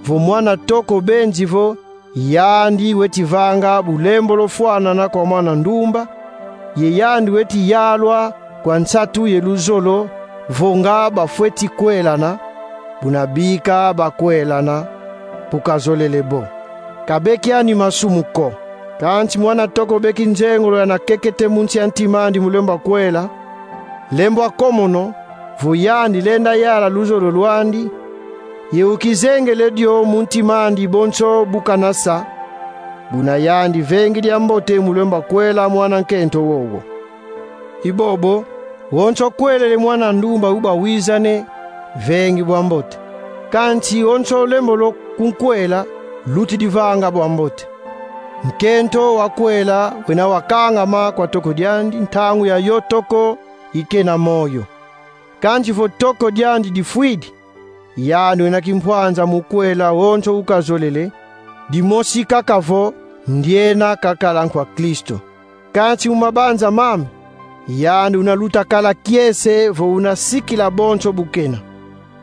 vo mwana toko benzi vo, yandi weti vanga bulembolo fwanana kwa mwana ndumba, ye yandi weti yalwa kwa nsatu ye luzolo, vo nga bafweti kwelana, buna bika bakwelana, bu kazolele bo. Ka bekiani masumu ko. Kansi mwana toko beki nzengolo yana kekete mu nsi ya ntima andi mu lemba kwela, Lembwa ko mono, vo yandi lenda yala luzolo lwandi, ye ukizengele dio mu ntima andi bonso bu kanasa, buna yandi vengi diambote mu lemba kwela mwana nkento wowo. I bobo, wonso kwelele mwana ndumba uba wiza ne: Vengi bwa mbote. Kansi wonso lembolo kunkwela, lutidi vanga bwa mbote. Nkento wa kwela wena wakangama kwa toko diandi ntangu yayo toko ikena moyo. Kansi vo toko diandi difwidi, yandi wena kimpwanza mu kwela wonso ukazolele, dimosi kaka vo ndiena kakala nkwa Kristo. Kansi mu mabanza mame, yandi una luta kala kiese vo una sikila bonso bu kena.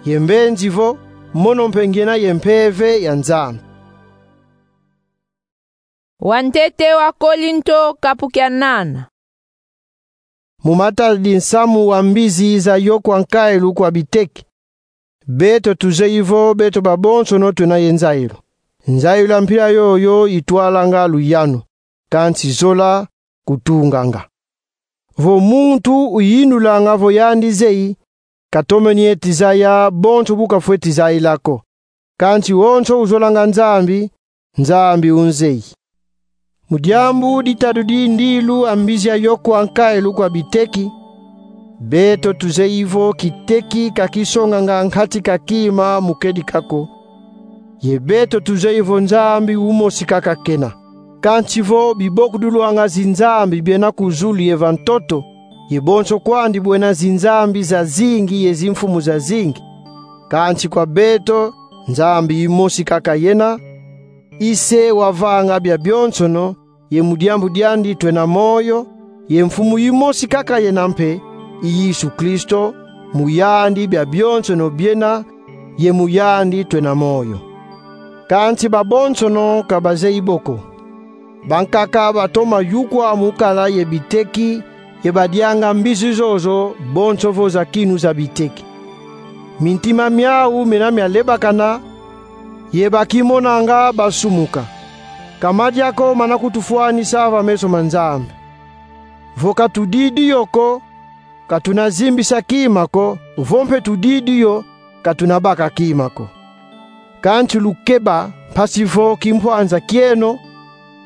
Ye mbenzi vo, mono mpe ngiena ye Mpeve ya Nzambi. Wantete wa Kolinto, kapu kia nana. Mu matadidi nsamu wa mbizi za yo kwa nkailu kwa biteki, beto tuzeyi vo beto babonsono twena ye nzayilu. Nzayilu ya mpila yoyo itwalanga luyanu, kansi zola kutunganga. Vo muntu uyindulanga vo yandi zeyi, katomene ti zaya bonso bu kafweti zayila ko. Kansi wonso uzolanga Nzambi, Nzambi unzeyi. Mu diambu ditadidi ndilu a mbizi ya yo kwa nkailu kwa biteki, beto tuzeyi vo kiteki ka kisonganga nkati ka kima mu kedika ko. Ye beto tuzeyi vo Nzambi umosi kaka kena. Kansi vo bibokudulwanga zinzambi biena ku zulu ye va ntoto, ye bonso kwandi bwena zinzambi zazingi ye zimfumu zazingi, kansi kwa beto Nzambi imosi kaka yena, i Se wavanga bia bionsono, ye mu diambu diandi twena moyo, ye Mfumu imosi kaka yena mpe, i Yesu Kristo, mu yandi bia bionsono biena, ye mu yandi twena moyo. Kansi babonsono ka bazeyi bo ko. Bankaka batoma yukwa mu kala ye biteki, ye badianga mbizi zozo bonso vo zakinu za biteki. Mintima miau mena mialebakana, ye bakimonanga basumuka. Ka madia ko mana kutufwanisa va meso ma Nzambi. Vo ka tudidi yo ko, ka tuna zimbisa kima ko, vo mpe tudidi yo, ka tuna baka kima ko. Kansi lukeba, mpasi vo kimpwanza kieno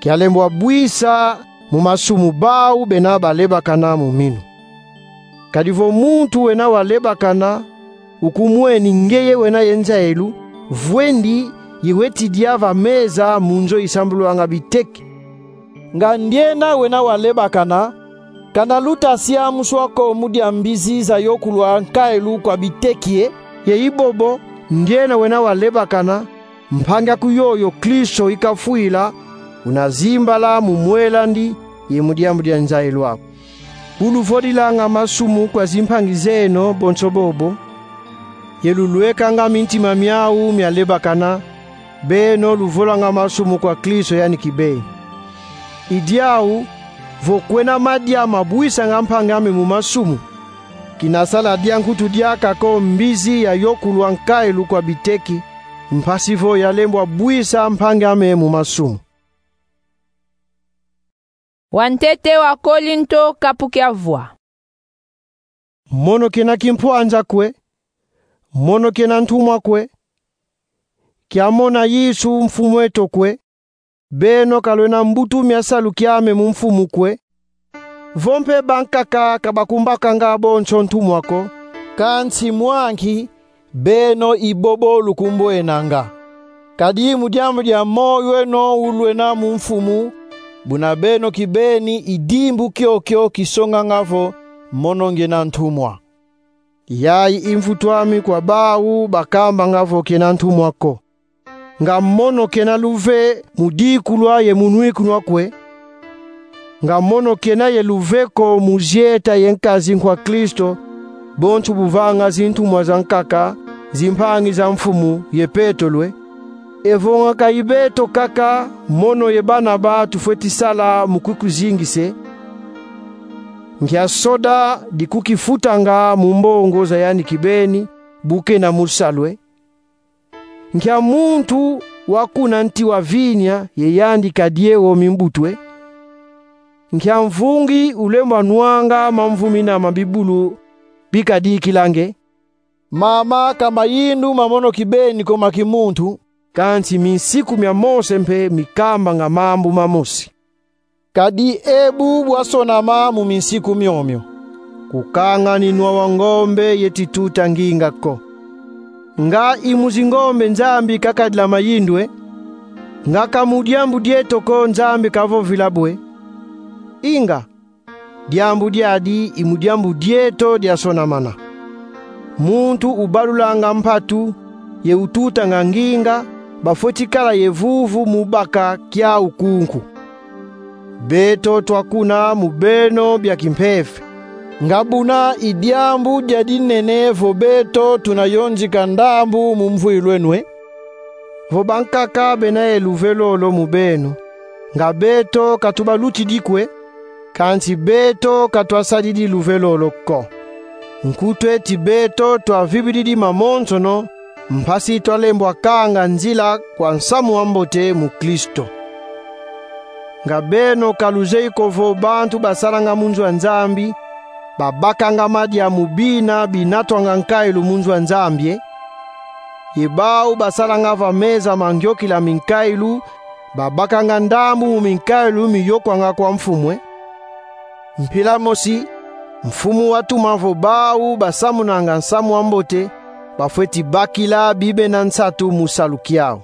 kialembwa bwisa mu masumu bau bena balebakana mu minu. Kadi vo muntu wena walebakana ukumweni ngeye wena ye nzayilu, vwendi ye weti dia va meza mu nzo isambulwanga biteki. Nga ndiena wena walebakana, kana luta siamuswa ko mu dia mbizi za yo kulwa nkailu kwa biteki e? Ye i bobo, ndiena wena walebakana, mpangi aku yoyo Kristo ikafwila, una zimbala mu mwel'andi ye mu diambu dia nzayilu aku. Bu luvodilanga masumu kwa zimpangi zeno bonso bobo, ye lulwekanga mintima miau mialebakana, beno luvolanga masumu kwa Kristo yani kibeni. I diau, vo kwena madia mabwisanga mpangi ame mu masumu, kina sala dia nkutu diaka ko mbizi ya yo kulwa nkailu kwa biteki, mpasi vo yalembwa bwisa mpangi ame mu masumu. Wantete wa Kolinto, kapu kia vwa. Mono kena kimpwanza kwe, mono kena ntumwa kwe, kia mona Yesu Mfumu eto kwe, beno ka lwena mbutu mia salu kiame mu Mfumu kwe, vo mpe bankaka ka bakumbakanga bonso ntumwa ko, kansi mwa nki beno i bobo lukumbwenanga. Kadi mu diambu dia moyo eno ulwena mu Mfumu, buna beno kibeni i dimbu kiokio kisonganga vo mono ngiena ntumwa. Yayi i mvutu ami kwa bau bakambanga vo kena ntumwa ko. Nga mono kena luve mu dikulwa ye mu nwikunwa kwe? Nga mono kena ye luve ko mu zieta ye nkazi nkwa Kristo, bonso bu vanga zintumwa zankaka, zimpangi za Mfumu ye Petelo e? Evo nga ka i beto kaka, mono ye Barnaba tufweti sala mu kukuzingisa e? Nkia soda dikukifutanga mu mbongo za yandi kibeni, bu kena mu salu e? Nkia muntu wakuna nti wa vinya ye yandi ka die wo mimbutu e? Nkia mvungi ulembwa nwanga mamvumina ma bibulu Pikadikila nge. Mama ka mayindu ma mono kibeni ko ma kimuntu, kansi minsiku mia mose mpe mikambanga mambu mamosi. Kadi ebu bwasonama mu minsiku miomio. Kukanga ni nwa wa ngombe ye tituta nginga ko. Nga i mu zingombe Nzambi kakadila mayindu e? Nga ka mu diambu dieto ko Nzambi kavovila bwe: Inga, diambu diadi i mu diambu dieto diasonamana. Muntu ubalulanga mpatu ye ututanga nginga bafweti kala ye vuvu mu baka kiau kunku. Beto twakuna mu beno bia kimpeve. Nga buna i diambu dia dinene vo beto tuna yonzika ndambu mu mvwilu eno e? Vo bankaka bena ye luvelo lo mu beno, nga beto ka tubalutidi ko e, kansi beto ka twasadidi luvelo lo ko. Nkutu eti beto twavibididi mamonsono, mpasi twalembwa kanga nzila kwa nsamu wa mbote mu Kristo. Nga beno ka luzeye ko vo bantu basalanga mu nzo a Nzambi babakanga madia mu bina binatwanga nkailu mu nzo a Nzambi e? Ye bau basalanga va meza ma ngiokila minkailu babakanga ndambu mu minkailu miyokwanga kwa Mfumu e? Mpila mosi, Mfumu watuma vo bau basamunanga nsamu wa mbote bafweti bakila bibena nsatu mu salu kiau.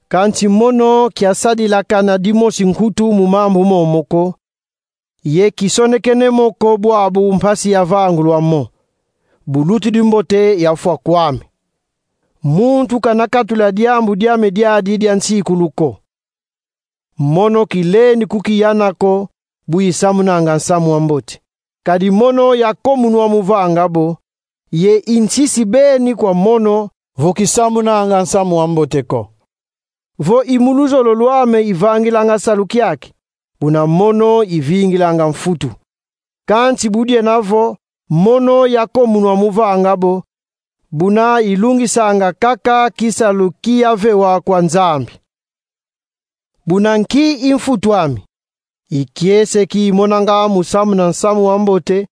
Kansi mono kiasadilakana dimosi nkutu mu mambu momo ko, ye kisonekene mo ko bwabu mpasi yavangulwa mo: bulutidi mbote yafwa kwame. Muntu kana katula diambu diame diadi dia nsikulu ko. Mono kilendi kukiyana ko bu isamunanga nsamu wa mbote, kadi mono yakomunwa mu vanga bo, ye i nsisi beni kwa mono vo kisamunanga nsamu wa mbote ko. Vo i mu luzolo lwame ivangilanga salu kiaki, buna mono ivingilanga mfutu. Kansi bu diena vo mono yakomunwa mu vanga bo, buna ilungisanga kaka kisalu ki yavewa kwa Nzambi. Buna nki i mfutu ami? I kiese ki imonanga mu samuna nsamu wa mbote,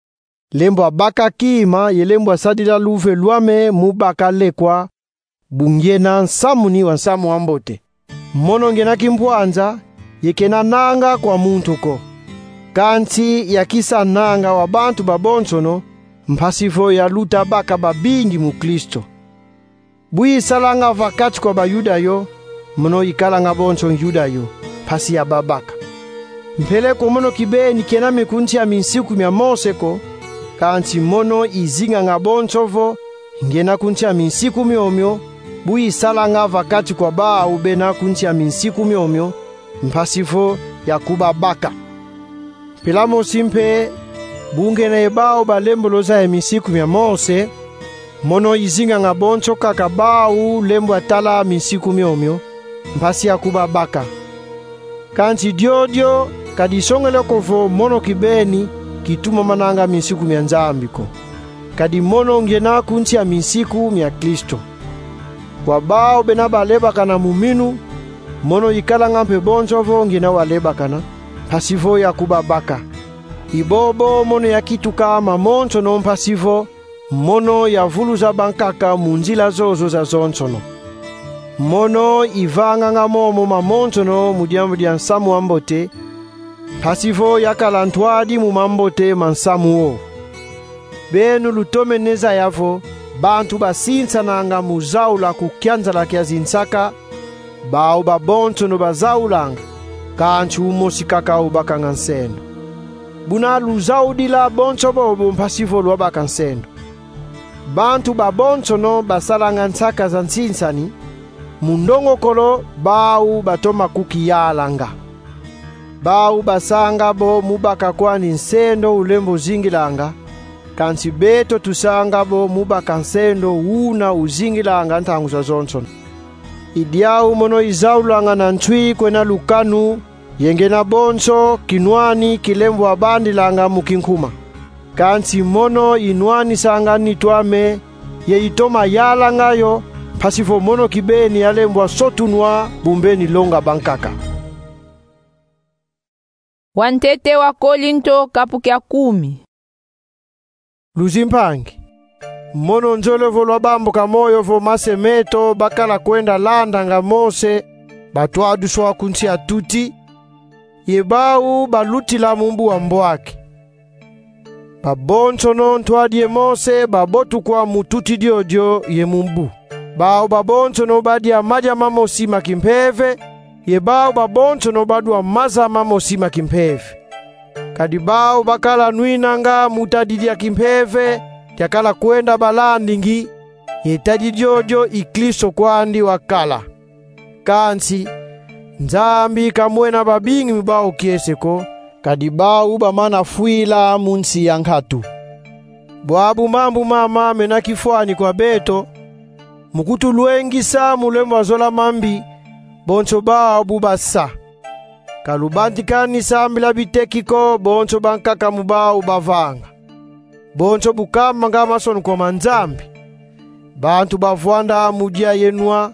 lembwa baka kima ye lembwa sadila luve lwame mu baka lekwa, bu ngiena nsamuni wa nsamu wa mbote. Mono ngiena kimpwanza, ye kena nanga kwa muntu ko. Kansi yakisa nanga wa bantu babonsono, mpasi vo yaluta baka babingi mu Kristo. Bu isalanga va kati kwa Bayuda yo, mono ikalanga bonso Yuda yo, mpasi yababaka. Mpeleko mono kibeni kena me ku nsi a minsiku mia Mose ko, kansi mono izinganga bonso vo ngiena ku nsi a minsiku miomio, bu isalanga va kati kwa bau bena ku nsi a minsiku miomio, mpasi vo yakubabaka. Mpila mosi mpe, bu ngiena ye bau balembolo zaya minsiku mia Mose, mono izinganga bonso kaka bau lembwa tala minsiku miomio, mpasi yakubabaka. Kansi diodio ka disongele ko vo mono kibeni kitumamananga minsiku mia Nzambi ko, kadi mono ngiena ku nsi a minsiku mia Kristo. Kwa bau bena balebakana mu minu, mono ikalanga mpe bonso vo ngiena walebakana, mpasi vo yakubabaka. I bobo mono yakituka mamonsono, mpasi vo mono yavuluza bankaka mu nzila zozo zazonsono. Mono ivanganga momo mamonsono mu diambu dia nsamu wa mbote, mpasi vo yakala ntwadi mu mambote ma nsamu wo. Beno lutomene zaya vo bantu basinsananga mu zaula ku kianzala kia zinsaka, bau babonsono bazaulanga, kansi umosi kaka ubakanga nsendo. Buna luzaudila bonso bobo mpasi vo lwabaka nsendo. Bantu babonsono basalanga nsaka za nsinsani, mu ndongokolo bau batoma kukiyalanga. Bau basanga bo mu baka kwani nsendo ulembo zingilanga, kansi beto tusanga bo mu baka nsendo una uzingilanga ntangu zazonsono. I diau mono izaulanga na nswi kwena lukanu, ye ngiena bonso kinwani kilembwa bandilanga mu kinkuma. Kansi mono inwanisanga nitu ame, ye itoma yalanga yo, mpasi vo mono kibeni yalembwa sotunwa bu mbeni longa bankaka. Wantete wa Kolinto, kapu kia kumi. Luzimpangi, mono nzolele vo lwabambuka moyo vo mase meto bakala kwenda landanga Mose batwaduswa ku nsi a tuti, ye bau balutila mu mbu a mbwaki. Babonsono ntwadi ye Mose babotukwa mu tuti diodio ye mu mbu. Bau babonsono badia madia mamosi ma kimpeve, ye bau babonsono badwa maza mamosi ma kimpeve. Kadi bau bakala nwinanga mu tadi dia kimpeve diakala kwenda balandingi, ye tadi diodio i Kristo kwandi wakala. Kansi Nzambi kamwena babingi mu bau kiese ko, kadi bau bamana fwila mu nsi ya nkatu. Bwabu mambu mama mena kifwani kwa beto, mu kutulwengisa mu lembwa zola mambi, bonso bau bu basa. Ka lubantikani sambila biteki ko bonso bankaka mu bau bavanga. Bonso bu kamanga masonukwa ma Nzambi, bantu bavwanda mu dia ye nwa,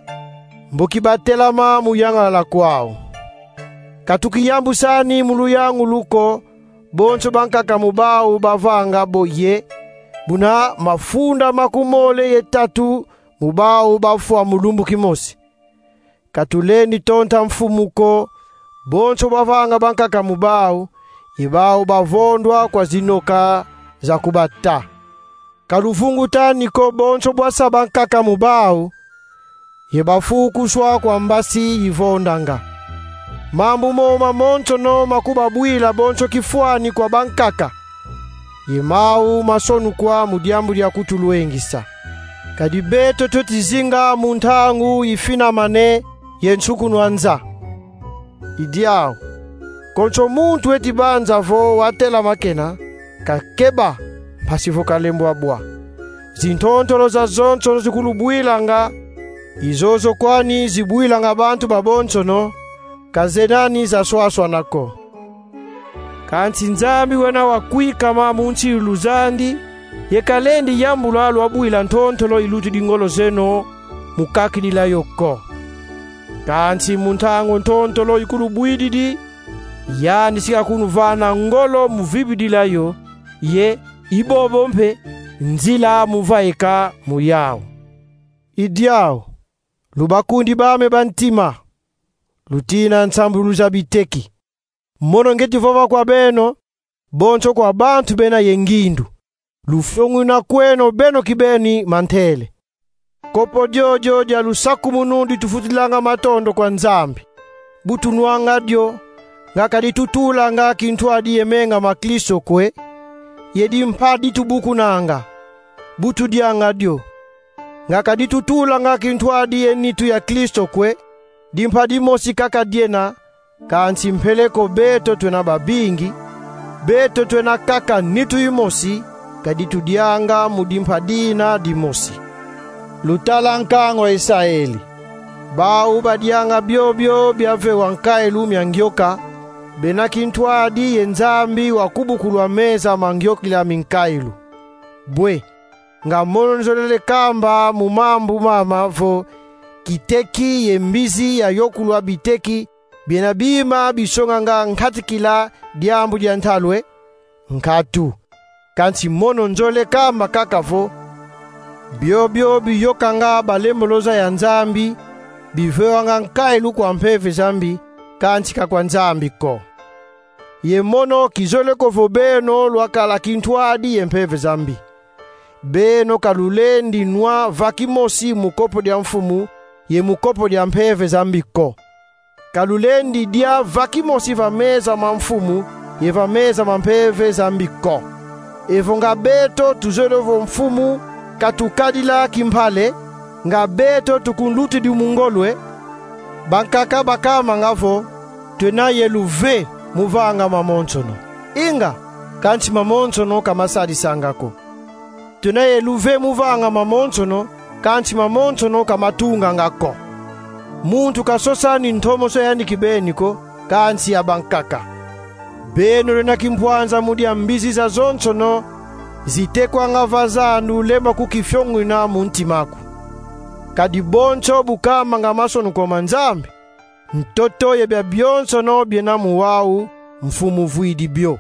mboki batelama mu yangalala kwau. Ka tukiyambusani mu luyangulu ko bonso bankaka mu bau bavanga bo ye, buna mafunda makumole ye tatu mu bau bafwa mu lumbu kimosi. Ka tulendi tonta mfumu ko bonso bavanga bankaka mu bau, ye bau bavondwa kwa zinyoka za kubata. Ka luvungutani ko bonso bwasa bankaka mu bau, ye bafukuswa kwa mbasi yivondanga. Mambu mo mamonsono makubabwila bonso kifwani kwa bankaka, ye mau masonukwa mu diambu dia kutulwengisa. Kadi beto tweti zinga mu ntangu yifinamane ye nsukunwa nza. I diau, konso muntu eti banza vo watelama kena, kakeba, mpasi vo kalembwa bwa. Zintontolo zazonsono zikulubwilanga, i zozo kwani zibwilanga bantu babonsono, ka zena ni zaswaswana ko. Kansi Nzambi wena wakwikama mu nsilulu zandi, ye kalendi yambula lwabwila ntontolo ilutidi ngolo zeno mu kakidila yo ko. Kansi mu ntangu ntontolo ikulubwididi, yandi si kakunuvana ngolo mu vibidila yo, ye i bobo mpe nzila mu vaika mu yau. I diau, lubakundi bame ba ntima, lutina nsambululu za biteki. Mono ngeti vova kwa beno, bonso kwa bantu bena ye ngindu: lufyonguna kweno beno kibeni mantele. Kopo diodio dia lusakumunu ditufutilanga matondo kwa Nzambi. Bu tunwanga dio, nga ka ditutulanga kintwadi ye menga ma Kristo kwe, ye dimpa ditubukunanga. Bu tudianga dio, nga ka ditutulanga kintwadi ye nitu ya Kristo kwe, dimpa dimosi kaka diena, kansi mpeleko beto twena babingi, beto twena kaka nitu yimosi, kadi tudianga mu dimpa dina dimosi. Lutala nkangu a Isaeli. Bau badianga biobio biavewa nkailu mia ngioka, bena kintwadi ye Nzambi wakubukulwa meza ma ngiokila minkailu. Bwe, nga mono nzolele kamba mu mambu mama vo kiteki ye mbizi yayokulwa biteki biena bima bisonganga nkatikila diambu dia ntalu e? Nkatu. Kansi mono nzolele kamba kaka vo biobio biyokanga balemboloza ya Nzambi, bivewanga nkailu kwa mpeve za mbi, kansi ka kwa Nzambi ko. Ye mono kizolele ko vo beno lwakala kintwadi ye mpeve za mbi. Beno ka lulendi nwa va kimosi mu kopo dia Mfumu ye mu kopo dia mpeve za mbi ko. Ka lulendi dia va kimosi va meza ma Mfumu ye va meza ma mpeve za mbi ko. Evo nga beto tuzolele vo Mfumu katukadila kimpale, nga beto tukunlutidi mu ngolo e? Bankaka bakamanga vo: Twena ye luve mu vanga mamonsono. Inga, kansi mamonsono ka masadisanga ko. Twena ye luve mu vanga mamonsono, kansi mamonsono ka matunganga ko. Muntu kasosani ntomoso yandi kibeni ko, kansi ya bankaka. Beno lwena kimpwanza mu dia mbizi zazonsono zitekwanga va zandu lembwa kukifyonguna mu ntima aku. Kadi bonso bu kamanga masonukwa ma Nzambi, ntoto ye biabionsono biena mu wau, Mfumu vwidi bio.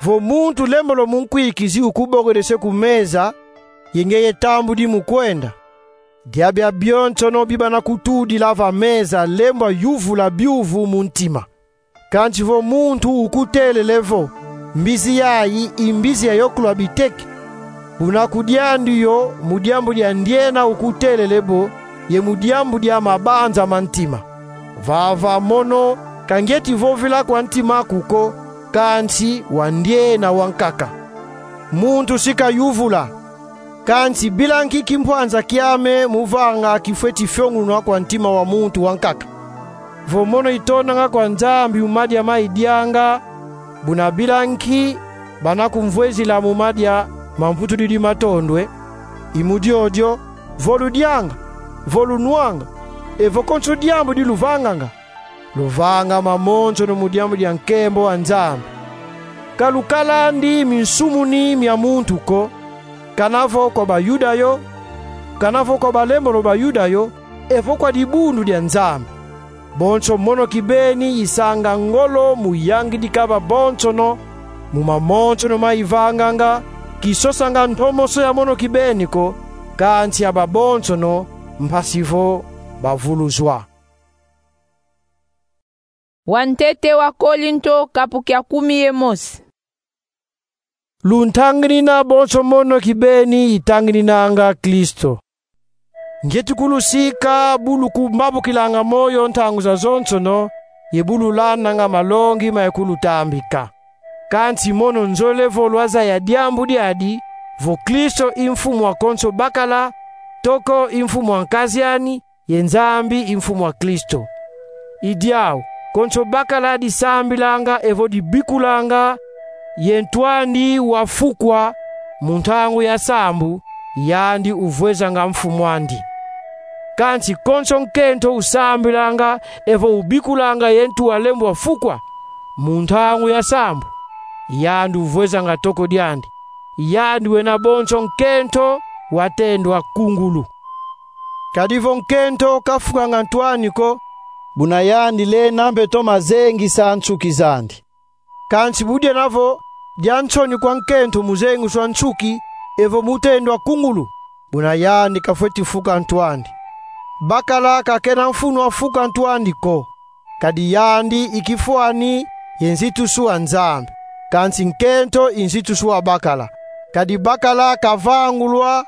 Vo muntu lembolo munkwikizi ukubokedese ku meza, ye ngeye tambudi mu kwenda, diabia bionsono bibana kutudila va meza lembwa yuvula biuvu mu ntima. Kansi vo muntu ukutelele vo: Mbizi yayi i mbizi ya yokulwa biteke, buna kudiandi yo mu diambu dia ndiena ukutelele bo, ye mu diambu dia mabanza ma ntima. Vava mono ka ngieti vovila kwa ntima aku ko, kansi wa ndiena wankaka. Muntu si kayuvula, kansi bila nki kimpwanza kiame mu vanga kifweti fiongunwa kwa ntima wa muntu wankaka? Vo mono itondanga kwa Nzambi mu madia ma idianga, buna bila nki bana kumvwezila mu madia ma mputudidi matondwe? I mu diodio, vo ludianga, vo lunwanga, evo konso diambu di luvanganga, luvanga mamonsono mu diambu dia nkembo wa Nzambi. Ka lukalandi minsumuni mia muntu ko, kana vo kwa Bayuda yo, kana vo kwa balembolo Bayuda yo, evo kwa dibundu dia Nzambi. Bonso mono kibeni isanga ngolo mu yangidika babonsono, mu mamonsono ma ivanganga, kisosanga ntomoso ya mono kibeni ko, kansi ya babonsono, mpasi vo bavuluzwa. Wantete wa Kolinto, kapu kia kumi ye mosi. Luntanginina bonso mono kibeni itangininanga Kristo. Ngieti kulusika bu lukumbabukilanga moyo ntangu zazonsono, ye bu lulandanga malongi ma ikulutambika. Kansi mono nzolele vo lwazaya diambu diadi, vo Kristo i Mfumu wa konso bakala, toko i Mfumu wa nkaziani, ye Nzambi i Mfumu wa Kristo. I diau, konso bakala disambilanga evo dibikulanga, ye ntu andi wafukwa, mu ntangu ya sambu, yandi uvwezanga mfumu'andi. Kansi konso nkento usambilanga evo ubikulanga ye ntu walembwa fukwa, mu ntangu ya sambu, yandi uvwezanga toko diandi. Yandi wena bonso nkento watendwa kungulu. Kadi vo nkento kafukanga ntu ani ko, buna yandi lenda mpe toma zengisa nsuki zandi. Kansi budiena vo dia nsoni kwa nkento mu zengiswa nsuki, evo mu tendwa kungulu, buna yandi kafweti fuka ntu andi. Bakala kakena mfunu wa fuka ntu andi ko, kadi yandi i kifwani ye nzitusu wa Nzambi, kansi nkento i nzitusu wa bakala. Kadi bakala kavangulwa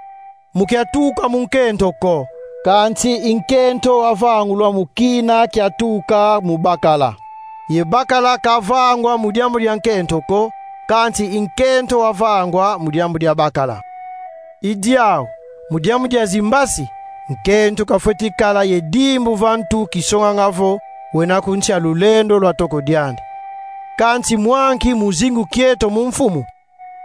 mu kiatuka mu nkento ko, kansi i nkento wavangulwa mu kina kiatuka mu bakala. Ye bakala kavangwa mu diambu dia nkento ko, kansi i nkento wavangwa mu diambu dia bakala. I diau, mu diambu dia zimbasi, nkento kafweti kala ye dimbu va ntu kisonganga vo wena ku nsi a lulendo lwa toko diandi. Kansi mwa nki mu zingu kieto mu Mfumu?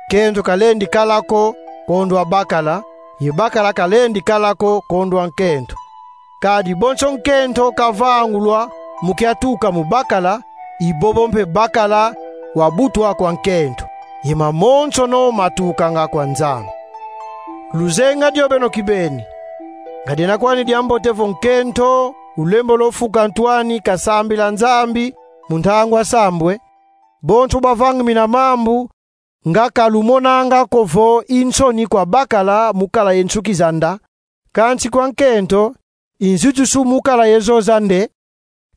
Nkento kalendi kala ko kondwa bakala, ye bakala kalendi kala ko kondwa nkento. Kadi bonso nkento kavangulwa mu kiatuka mu bakala, i bobo mpe bakala wabutwa kwa nkento, ye mamonsono matukanga kwa Nzambi. Luzenga dio beno kibeni. Nga diena kwani diambote vo nkento ulembolo fuka ntu ani kasambila Nzambi mu ntangu a sambu e? Bonso bavangimina mambu, nga ka lumonanga ko vo i nsoni kwa bakala mu kala ye nsuki za nda, kansi kwa nkento i nzitusu mu kala ye zo za nde?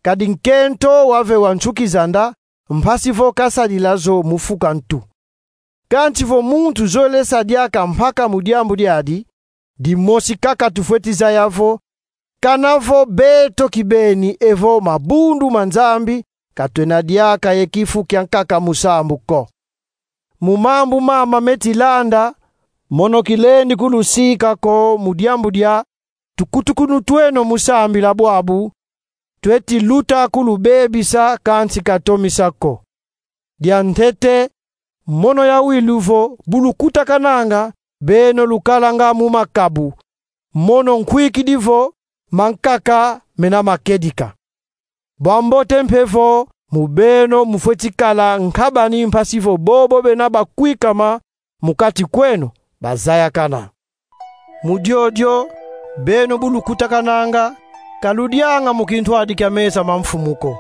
Kadi nkento wavewa nsuki za nda, mpasi vo kasadila zo mu fuka ntu. Kansi vo muntu zolele sa diaka mpaka mu diambu diadi, dimosi kaka tufweti zaya vo, kana vo beto kibeni evo mabundu ma Nzambi, ka twena diaka ye kifu kiankaka mu sambu ko. Mu mambu mama meti landa, mono kilendi kulusika ko mu diambu dia tukutukunu tweno mu sambila bwabu, tweti luta kulubebisa kansi ka tomisa ko. Diantete, mono yawilu vo bu lukutakananga, beno lukalanga mu makabu, mono nkwikidi vo mankaka mena makedika. Bwa mbote mpe vo mu beno mufweti kala nkabani mpasi vo bobo bena bakwikama mu kati kweno bazayakana. Mu diodio, beno bu lukutakananga, ka ludianga mu kintwadi kia mesa ma Mfumu ko.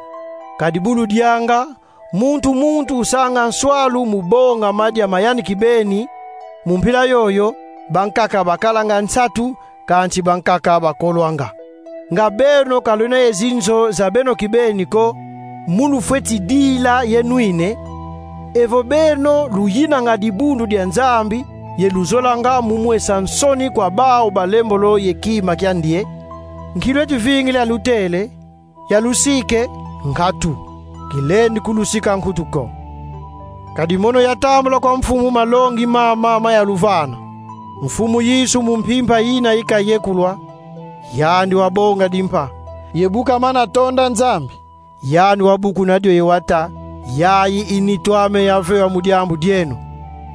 Kadi bu ludianga, Muntu muntu usanga nswalu mu bonga madia ma yandi kibeni, mu mpila yoyo, bankaka bakalanga nsatu, kansi bankaka bakolwanga. Nga beno ka lwena ye zinzo za beno kibeni ko, mu lufweti dila ye nwina? Evo beno luyinanga dibundu dia Nzambi, ye luzolanga mu mwesa nsoni kwa bau balembolo ye kima kia ndie, nki lweti vingila lutele: "Ya lusike, nkatu, kilendi kulusika nkutu ko"? Kadi mono yatambula kwa Mfumu malongi mama ma yaluvana. Mfumu Yesu mu mpimpa yina ikayekulwa, yandi wabonga dimpa. Ye bu kamana tonda Nzambi, yandi wabukuna dio ye wata: "Yayi i nitu ame yavewa mu diambu dieno.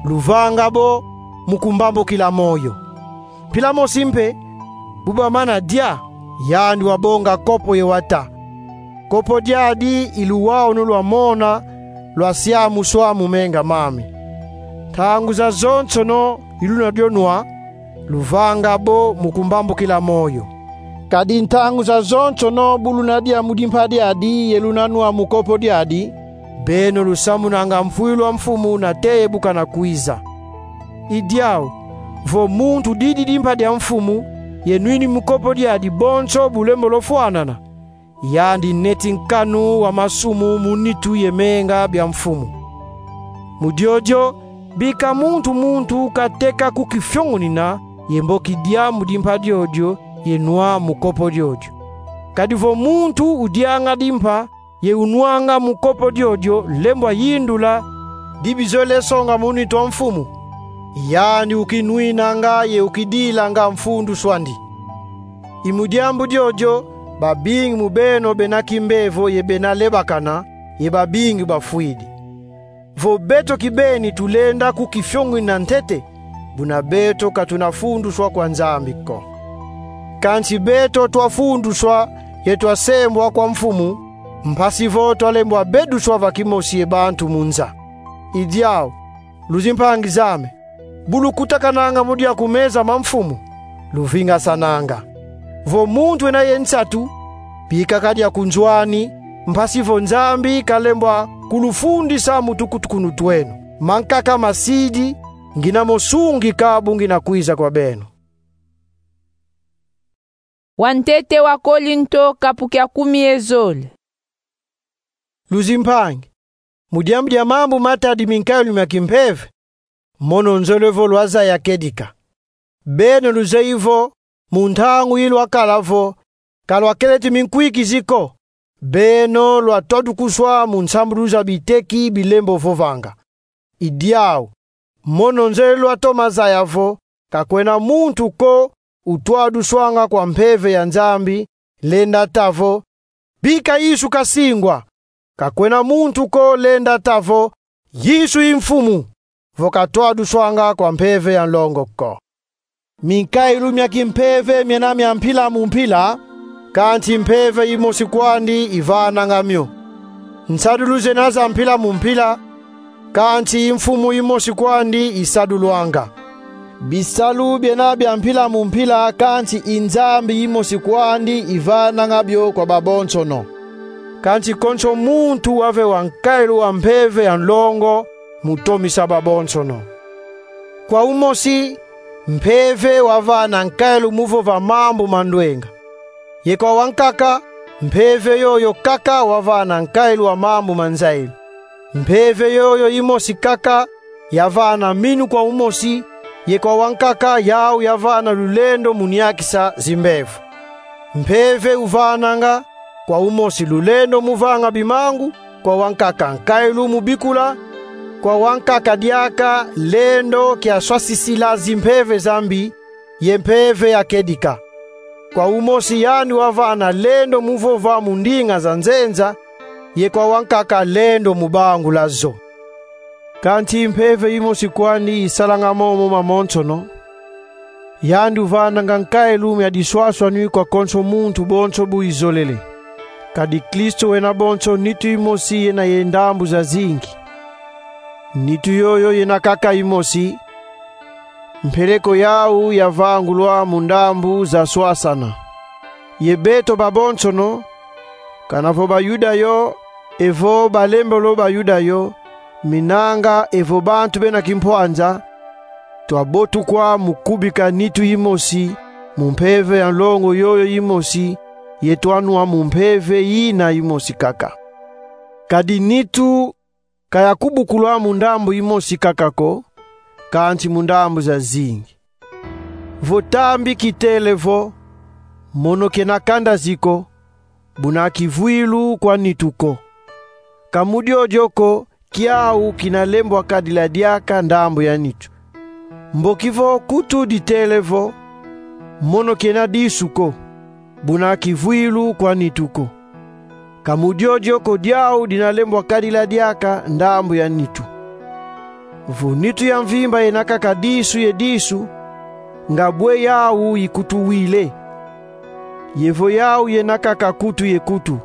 Luvanga bo mu kumbambukila moyo." Mpila mosi mpe, bu bamana dia, yandi wabonga kopo ye wata. Kopo diadi i luwawanu lwa mona, lwa siamuswa mu menga mame. Ntangu zazonsono i luna dio nwa, luvanga bo mu kumbambukila moyo. Kadi ntangu zazonsono bu luna dia mu dimpa diadi ye luna nwa mu kopo diadi, beno lusamunanga mfwilu a Mfumu nate ye bu kana kwiza. I diau, vo muntu didi dimpa dia Mfumu, ye nwini mu kopo diadi bonso bulembolo fwanana, yandi neti nkanu wa masumu mu nitu ye menga bia Mfumu. Mu diodio, bika muntu muntu kateka kukifiongunina ye mboki dia mu dimpa diodio ye nwa mu kopo diodio. Kadi vo muntu udianga dimpa ye unwanga mu kopo diodio lembwa yindula: "Di bizolele songa mu nitu a Mfumu," yandi ukinwinanga ye ukidilanga mfundusw'andi. I mu diambu diodio, babingi mu beno bena kimbevo ye bena lebakana, ye babingi bafwidi. Vo beto kibeni tulenda kukifiongunina ntete, buna beto ka tuna funduswa kwa Nzambi ko. Kansi beto twafunduswa ye twasembwa kwa Mfumu, mpasi vo twalembwa beduswa va kimosi ye bantu mu nza. I diau, luzimpangi zame, bu lukutakananga mu dia ku meza ma Mfumu, luvingasananga. Vo muntu wena ye nsatu, bika kadia ku nzo ani, mpasi vo Nzambi kalembwa kulufundisa mu tukutukunu tweno. Mankaka masidi, ngina mo sungika bu ngina kwiza kwa beno. Wantete wa Kolinto, kapu kia kumi ye zole. Luzimpangi, mu diambu dia mambu matadidi minkayulu mia kimpeve, mono nzolele vo lwazaya kedika. Beno luzeyi vo, mu ntangu yi lwakala vo, ka lwakeleti minkwikizi ko, beno lwatwadukuswa mu nsambulu za biteki bilembo vovanga. I diau, mono nzolele lwatoma zaya vo, ka kwena muntu ko utwaduswanga kwa Mpeve ya Nzambi, lenda ta vo: "Bika Yesu kasingwa." Ka kwena muntu ko lenda ta vo: "Yesu i Mfumu," vo katwaduswanga kwa Mpeve ya Nlongo ko. Minkayulu mia kimpeve miena mia mpila mu mpila, kansi Mpeve yimosi kwandi ivananga mio. Nsadulu zena za mpila mu mpila, kansi i Mfumu yimosi kwandi isadulwanga. Bisalu biena bia mpila mu mpila, kansi i Nzambi yimosi kwandi ivananga bio kwa babonsono. Kansi konso muntu wavewa nkayulu wa Mpeve ya Nlongo mu tomisa babonsono. Kwa umosi, Mpeve wavana nkayulu mu vova mambu ma ndwenga. Ye kwa wankaka, Mpeve yoyo kaka wavana nkayulu wa mambu ma nzayilu. Mpeve yoyo yimosi kaka yavana minu kwa umosi, ye kwa wankaka yau yavana lulendo mu niakisa zimbevo. Mpeve uvananga, kwa umosi lulendo mu vanga bimangu, kwa wankaka nkayulu mu bikula, kwa wankaka diaka lendo kia swasisila zimpeve za mbi, ye mpeve ya kedika. Kwa umosi yandi wavana lendo mu vova mu ndinga za nzenza, ye kwa wankaka lendo mu bangula zo. Kansi Mpeve yimosi kwandi isalanga momo mamonsono. Yandi uvananga nkayulu mia diswaswanu kwa konso muntu bonso bu izolele. Kadi Kristo wena bonso nitu yimosi yena ye ndambu zazingi. Nitu yoyo yena kaka yimosi, mpeleko yau yavangulwa mu ndambu zaswasana. Ye beto babonsono, kana vo Bayuda yo, Evo balembolo ba Yuda yo, minanga evo bantu bena kimpwanza, twabotukwa mu kubika nitu yimosi mu mpeve ya nlongo yoyo yimosi, ye twanwa mu mpeve yina yimosi kaka. Kadi nitu ka yakubukulwa mu ndambu yimosi kaka ko, kansi mu ndambu zazingi. Vo tambi kitele vo: Mono kena kandazi ko, buna kivwilu kwa nitu ko. Ka mu diodio ko, kiau kina lembwa kadila diaka ndambu ya nitu. Mboki vo kutu ditele vo: Mono kena disu ko, buna kivwilu kwa nitu ko. Ka mu diodio ko diau dina lembwa kadila diaka ndambu ya nitu. Vo nitu ya mvimba yena kaka disu ye disu, nga bwe yau yikutuwile? Ye vo yau yena kaka kutu ye kutu,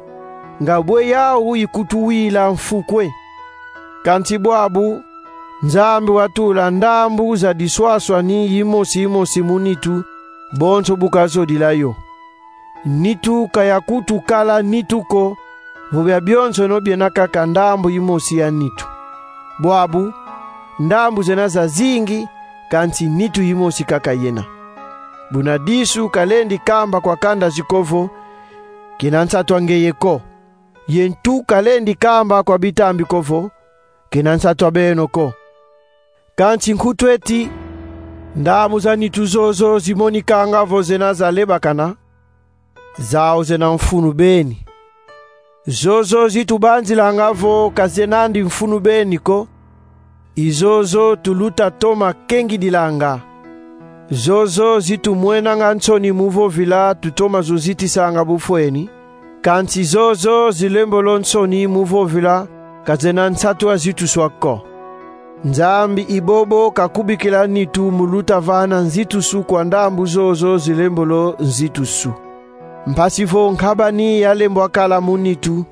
nga bwe yau yikutuwila mfukwe? Kansi bwabu, Nzambi watula ndambu za diswaswani yimosi yimosi mu nitu, bonso bu kazodila yo. Nitu ka yakutukala nitu ko, vo bia bionsono biena kaka ndambu yimosi ya nitu. Bwabu, ndambu zena zazingi, kansi nitu yimosi kaka yena. Buna disu ka lendi kamba kwa kandazi ko vo: Kena nsatu a ngeye ko. Ye ntu ka lendi kamba kwa bitambi ko vo: Kena nsatu a beno ko. Kansi nkutu eti, ndambu za nitu zozo zimonikanga vo zena zalebakana, zau zena mfunu beni. Zozo zitubanzilanga vo ka zenandi mfunu beni ko, i zozo tuluta toma kengidilanga. Zozo zitumwenanga nsoni mu vovila tutoma zo zitisanga bufweni, kansi zozo zilembolo nsoni mu vovila ka zena nsatu a zituswa ko. Nzambi i bobo kakubikila nitu mu luta vana nzitusu kwa ndambu zozo zilembolo nzitusu. Mpasi vo nkabani yalembwa kala mu nitu,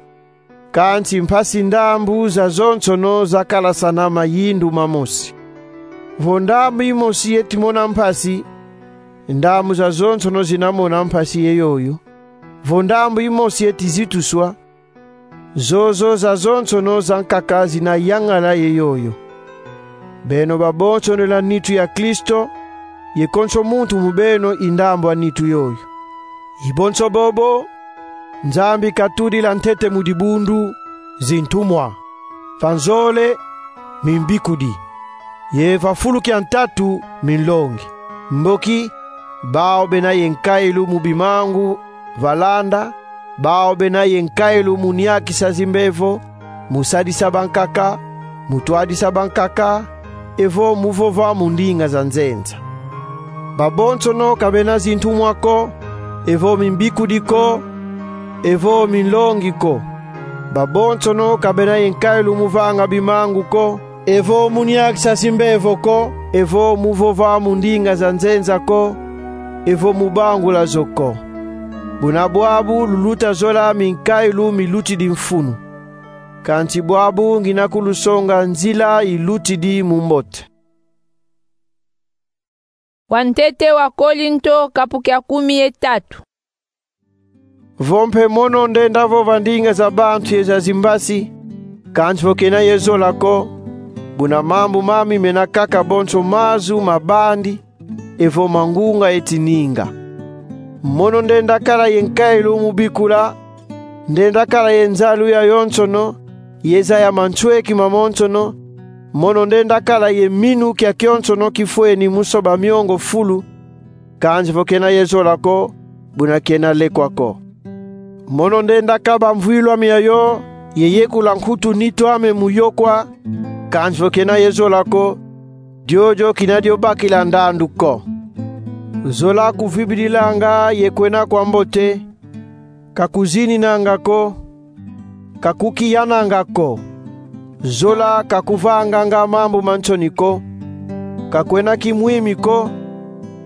kansi mpasi ndambu zazonsono zakalasana mayindu mamosi. Vo ndambu yimosi yeti mona mpasi, ndambu zazonsono zina mona mpasi ye yoyo. Vo ndambu yimosi yeti zituswa, zozo zazonsono zankaka zina yangala ye yoyo. Beno babonsono la nitu ya Kristo, ye konso muntu mu beno i ndambu a nitu yoyo. I bonso bobo, Nzambi katudila ntete mu dibundu zintumwa, va nzole mimbikudi, ye va fulu kia ntatu minlongi. Mboki, bau bena ye nkailu mu bimangu va landa, bau bena ye nkailu mu niakisa zimbevo, mu sadisa bankaka, mu twadisa bankaka, evo mu vova mu ndinga za nzenza. Babonsono ka bena zintumwa ko, evo mimbikudi ko, evo minlongi ko. Babonsono ka bena ye nkailu mu vanga bimangu ko, evo mu niakisa zimbevo ko, evo mu vova mu ndinga za nzenza ko, evo mu bangula zo ko. Buna bwabu luluta zola minkailu milutidi mfunu. Kansi bwabu ngina kulusonga nzila ilutidi mu mbote. Wa ntete wa Kolinto, kapu kia kumi ye tatu. Vo mpe mono ndenda vova ndinga za bantu ye za zimbasi, kansi vo kena ye zola ko, buna mambu mami mena kaka bonso mazu ma bandi, evo ma ngunga eti ninga. Mono ndenda kala ye nkailu mu bikula, ndenda kala ye nzalu yayonsono, ye zaya mansweki mamonsono, mono ndenda kala ye minu kia kionsono kifweni mu soba miongo fulu, kansi vo kena ye zola ko, buna kena lekwa ko. Mono ndenda kaba mvwilu ame yayo, ye yekula nkutu nitu ame mu yokwa, kansi vo kena ye zola ko, diodio kina dio bakila ndandu ko. Zola kuvibidilanga ye kwena kwa mbote, ka kuzininanga ko, ka kukiyananga ko. Zola ka kuvanganga mambu ma nsoni ko, ka kwena kimwimi ko,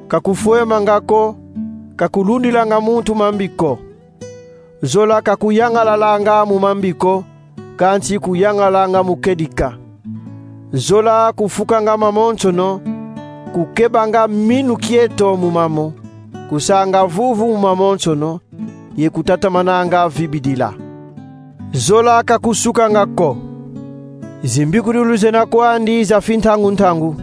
ka kufwemanga ko, ka kulundilanga muntu mambi ko. Zola ka kuyangalalanga mu mambi ko, kansi kuyangalanga mu kedika. Zola kufukanga mamonsono, kukebanga minu kieto mu mamo, kusanga vuvu mu mamonsono, ye kutatamananga vibidila. Zola ka kusukanga ko. Zimbikudulu zena kwandi za fintangu-ntangu.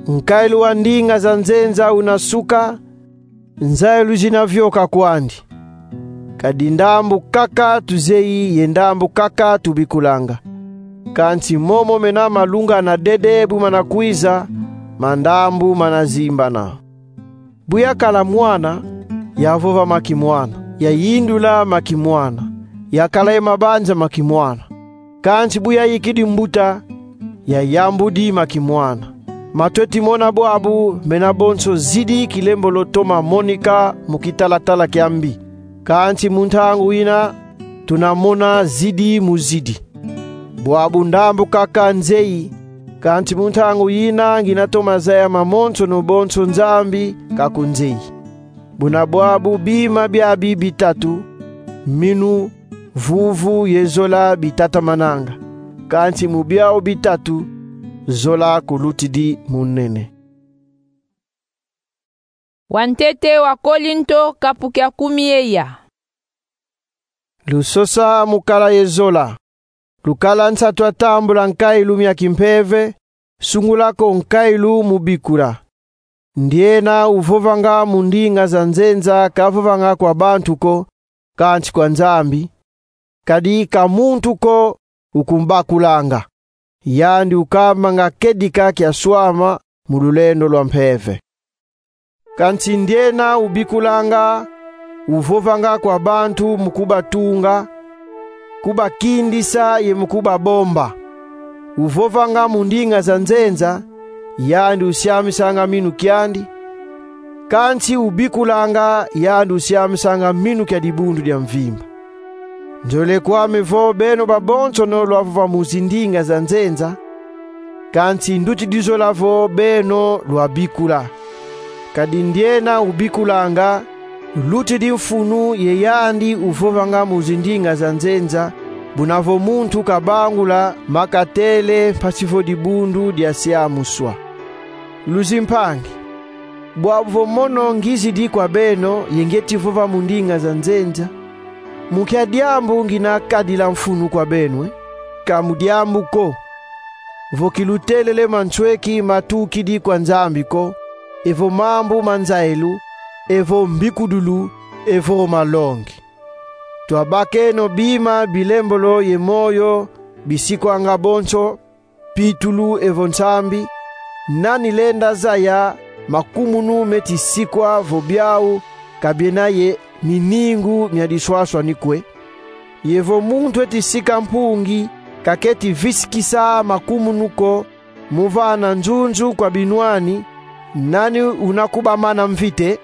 Nkailu wa ndinga za nzenza una suka, nzayilu zina vioka kwandi. Kadi ndambu kaka tuzeyi ye ndambu kaka tubikulanga. Kansi momo mena malungana dede bu mana kwiza, ma ndambu mana zimbana. Bu yakala mwana, yavova ma kimwana, yayindula ma kimwana, yakala ye mabanza ma kimwana. Kansi bu yayikidi mbuta, yayambudi ma kimwana. Ma tweti mona bwabu mena bonso zidi kilembolo toma monika mu kitalatala kia mbi. Kansi mu ntangu yina tuna mona zidi mu zidi. Bwabu ndambu kaka nzeyi, kansi mu ntangu yina ngina toma zaya mamonsono bonso Nzambi kakunzeyi. Buna bwabu bima biabi bitatu, minu, vuvu ye zola bitatamananga. Kansi mu biau bitatu, zola kulutidi munene. Wantete wa Kolinto, kapu kia kumi ye ya. Lusosa mu kala ye zola. Lukala nsatu a tambula nkailu mia kimpeve, sungula ko nkailu mu bikula. Ndiena uvovanga mu ndinga za nzenza kavovanga kwa bantu ko, kansi kwa Nzambi. Kadi ka muntu ko ukumbakulanga. Yandi ukambanga kedika kiaswama mu lulendo lwa mpeve. Kansi ndiena ubikulanga, uvovanga kwa bantu mu kubatunga, kubakindisa ye mu kubabomba. Uvovanga mu ndinga za nzenza, yandi usiamisanga minu kiandi, kansi ubikulanga, yandi usiamisanga minu kia dibundu dia mvimba. Nzolele kwame vo beno babonsono lwavova mu zindinga za nzenza, kansi ndutidi zola vo beno lwabikula. Kadi ndiena ubikulanga, lutidi mfunu ye yandi uvovanga mu zindinga za nzenza, buna vo muntu kabangula makatele mpasi vo dibundu diasiamuswa. Luzimpangi, bwabu vo mono ngizidi kwa beno ye ngeti vova mu ndinga za nzenza, mu nkia diambu ngina kadila mfunu kwa beno, eh? Ka mu diambu ko. Vo kilutelele mansweki matukidi kwa Nzambi ko, evo mambu ma nzayilu, evo mbikudulu, evo malongi. Twabakeno bima bilembolo ye moyo bisikwanga bonso, pitulu evo nsambi. Nani lenda zaya makumunu meti sikwa vo biau ka biena ye miningu mia diswaswani kwe? Ye vo muntu eti sika mpungi, ka keti visikisa makumunu ko, mu vana nzunzu kwa binwani, nani una kubamana mvita?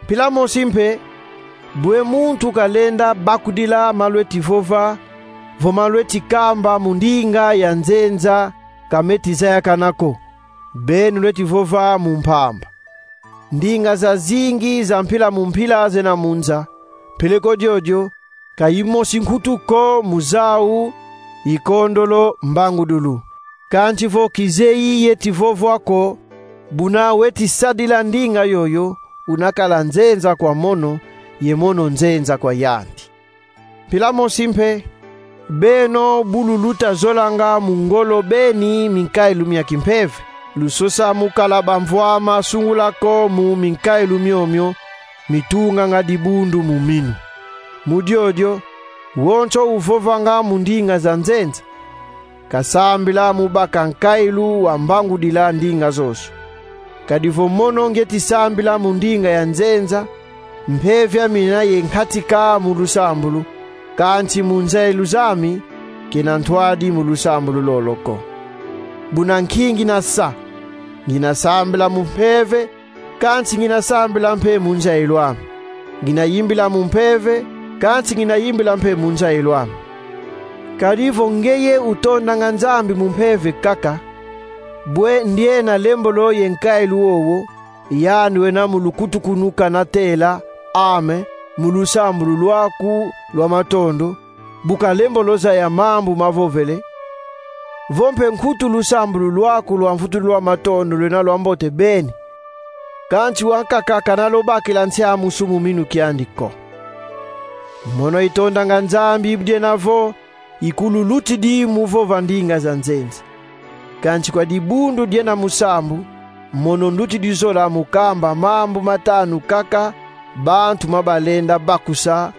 Mpila mosi mpe, bwe muntu kalenda bakudila ma lweti vova, vo ma lweti kamba mu ndinga ya nzenza ka meti zayakana ko, beno lweti vova mu mpamba. Ndinga zazingi za mpila mu mpila zena mu nza, peleko diodio, ka yimosi nkutu ko mu zau ikondolo mbangudulu. Kansi vo kizeyi yeti vovwa ko, buna weti sadila ndinga yoyo, una kala nzenza kwa mono, ye mono nzenza kwa yandi. Mpila mosi mpe, beno bu luluta zolanga mu ngolo beni minkailu mia kimpeve, lusosa mu kala bamvwama sungula ko mu minkailu miomio mitunganga dibundu mu minu. Mu diodio, wonso uvovanga mu ndinga za nzenza kasambila mu baka nkailu wa mbangudila ndinga zozo. Kadi vo mono ngeti sambila mu ndinga ya nzenza, mpeve yami ina ye nkatika mu lusambulu, kansi mu nzayilu zami, kena ntwadi mu lusambulu lolo ko. Buna nki ngina sa? Ngina sambila mu mpeve, kansi ngina sambila mpe mu nzayilu ame. Ngina yimbila mu mpeve, kansi ngina yimbila mpe mu nzayilu ame. Kadi vo ngeye utondanga Nzambi mu mpeve kaka, bwe ndiena lembolo ye nkailu wowo, yandi wena mu lukutukunu kana tela: Amen, mu lusambulu lwaku lwa matondo, bu kalembolo zaya mambu mavovele, vo mpe nkutu lusambulu lwaku lwa mvutulu lwa matondo lwena lwambote beni, kansi wankaka kana lubakila nsiamusu mu minu kiandi ko. Mono itondanga Nzambi, bu diena vo ikululutidi mu vova ndinga za nzenza. Kansi kwa dibundu diena musambu, mono ndutidi zola mu kamba mambu matanu kaka bantu ma balenda bakusa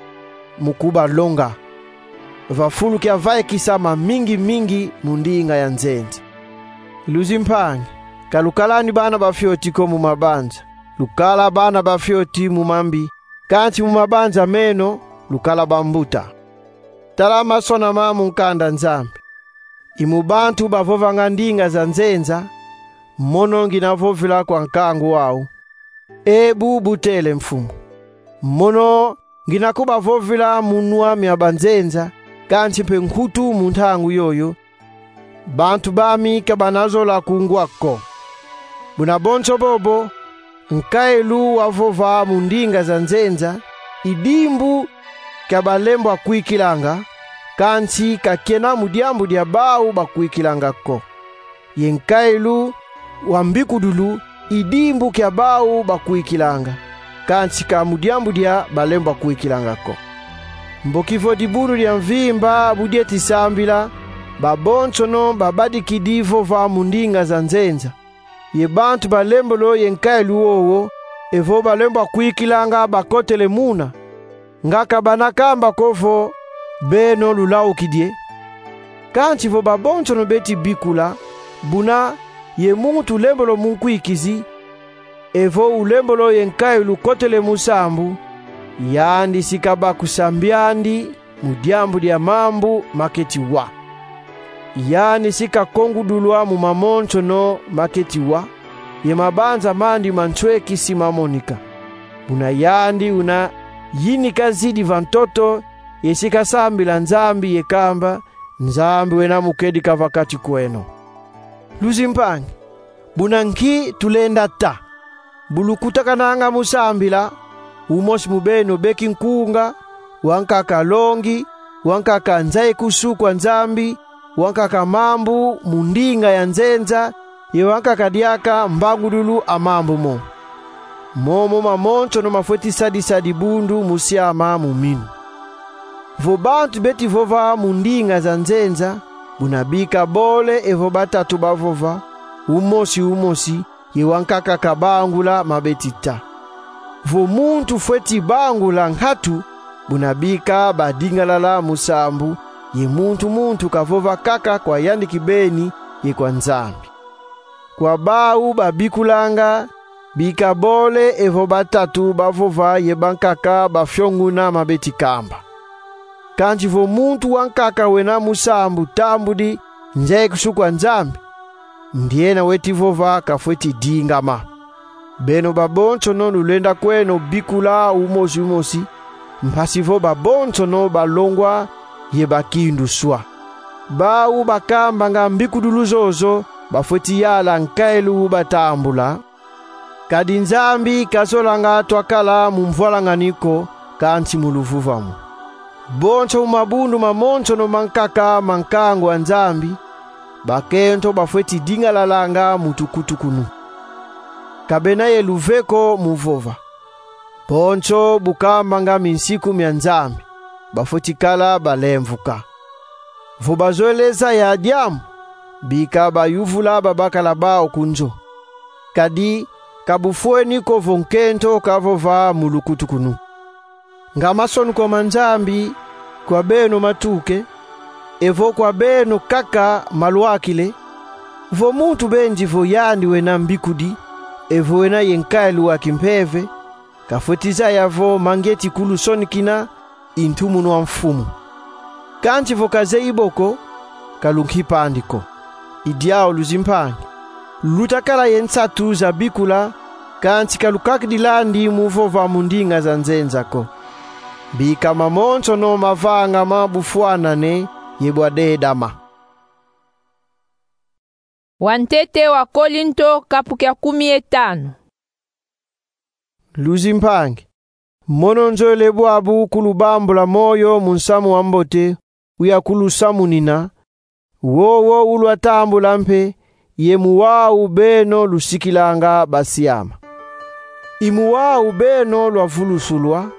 mu kubalonga, va fulu kia vaikisa mamingi-mingi mu ndinga ya nzenza. Luzimpangi, ka lukalani bana ba fioti ko mu mabanza. Lukala bana ba fioti mu mambi, kansi mu mabanza meno lukala bambuta. Tala masonama mu nkanda Nzambi: I mu bantu bavovanga ndinga za nzenza, mono ngina vovila kwa nkangu wau: Ebu butele, Mfumu. Mono ngina kubavovila mu nwa mia banzenza, kansi mpe nkutu mu ntangu yoyo, bantu bami ka bana zola kungwa ko. Buna bonso bobo, nkailu wavova mu ndinga za nzenza i dimbu kia balembwa kwikilanga, kansi ka kiena mu diambu dia bau bakwikilanga ko. Ye nkailu wa mbikudulu i dimbu kia bau bakwikilanga, kansi ka mu diambu dia balembwa kwikilanga ko. Mboki vo dibundu dia mvimba bu dieti sambila, babonsono babadikidi vova mu ndinga za nzenza, ye bantu ba lembolo ye nkailu wowo, evo balembwa kwikilanga, bakotele muna, nga ka bana kamba ko vo: Beno lulaukidi e? Kansi vo babonsono beti bikula, buna ye muntu lembolo mu nkwikizi, evo ulembolo ye nkailu kotele mu sambu, yandi si kabakusa mbiandi mu diambu dia mambu maketi wa. Yandi si kakongudulwa mu mamonsono maketi wa, ye mabanza mandi ma nsweki si mamonika. Buna yandi una yinika zidi va ntoto, ye si kasambila Nzambi ye kamba: Nzambi wena mu kedika va kati kweno. Luzimpangi, buna nki tulenda ta? Bu lukutakananga mu sambila, umosi mu beno beki nkunga, wankaka longi, wankaka nza ye kusuka Nzambi, wankaka mambu mu ndinga ya nzenza, ye wankaka diaka mbangudulu a mambu mo. Momo mamonsono mafweti sadisa dibundu mu siama mu minu. Vo bantu beti vova mu ndinga za nzenza, buna bika bole evo batatu bavova, umosi umosi, ye wankaka kabangula ma beti ta. Vo muntu fweti bangula nkatu, buna bika badingalala mu sambu, ye muntu muntu kavova kaka kwa yandi kibeni ye kwa Nzambi. Kwa bau babikulanga, bika bole evo batatu bavova ye bankaka bafionguna ma beti kamba. Kansi vo muntu wankaka wena mu sambu tambudi nza ye kusuka Nzambi, ndiena weti vova kafweti dingama. Beno babonsono lulenda kweno bikula umosi umosi, mpasi vo babonsono balongwa ye bakinduswa. Bau bakambanga mbikudulu zozo bafweti yala nkailu batambula. Kadi Nzambi kazolanga twakala mu mvwalangani ko, kansi mu luvuvamu. Bonso mu mabundu mamonsono mankaka ma nkangu a Nzambi, bakento bafweti dingalalanga mu tukutukunu. Ka bena ye luve ko mu vova. Bonso bu kambanga minsiku mia Nzambi, bafweti kala balemvuka. Vo bazolele zaya diambu, bika bayuvula babakala bau ku nzo. Kadi ka bufweni ko vo nkento kavova mu lukutukunu. Nga masonuko ma Nzambi kwa beno matuke, evo kwa beno kaka malwakile: vo muntu benzi vo yandi wena mbikudi, evo wena ye nkailu wa kimpeve, kafweti zaya vo mangieti kulusonikina i ntumunu a Mfumu. Kansi vo kazeyi bo ko, ka lunkipandi ko. I diau, luzimpangi, lutakala ye nsatu za bikula, kansi ka lukakidilandi mu vova mu ndinga za nzenza ko. Bika mamonsono mavangama bufwanane ye bwa dedama. Wantete wa Kolinto, kapu kia kumi ye tanu. Luzimpangi, mono nzolele bwabu kulubambula moyo mu nsamu wa mbote uya kulusamunina, wowo ulwatambula mpe ye mu wau beno lusikilanga basiama. I mu wau beno lwavulusulwa,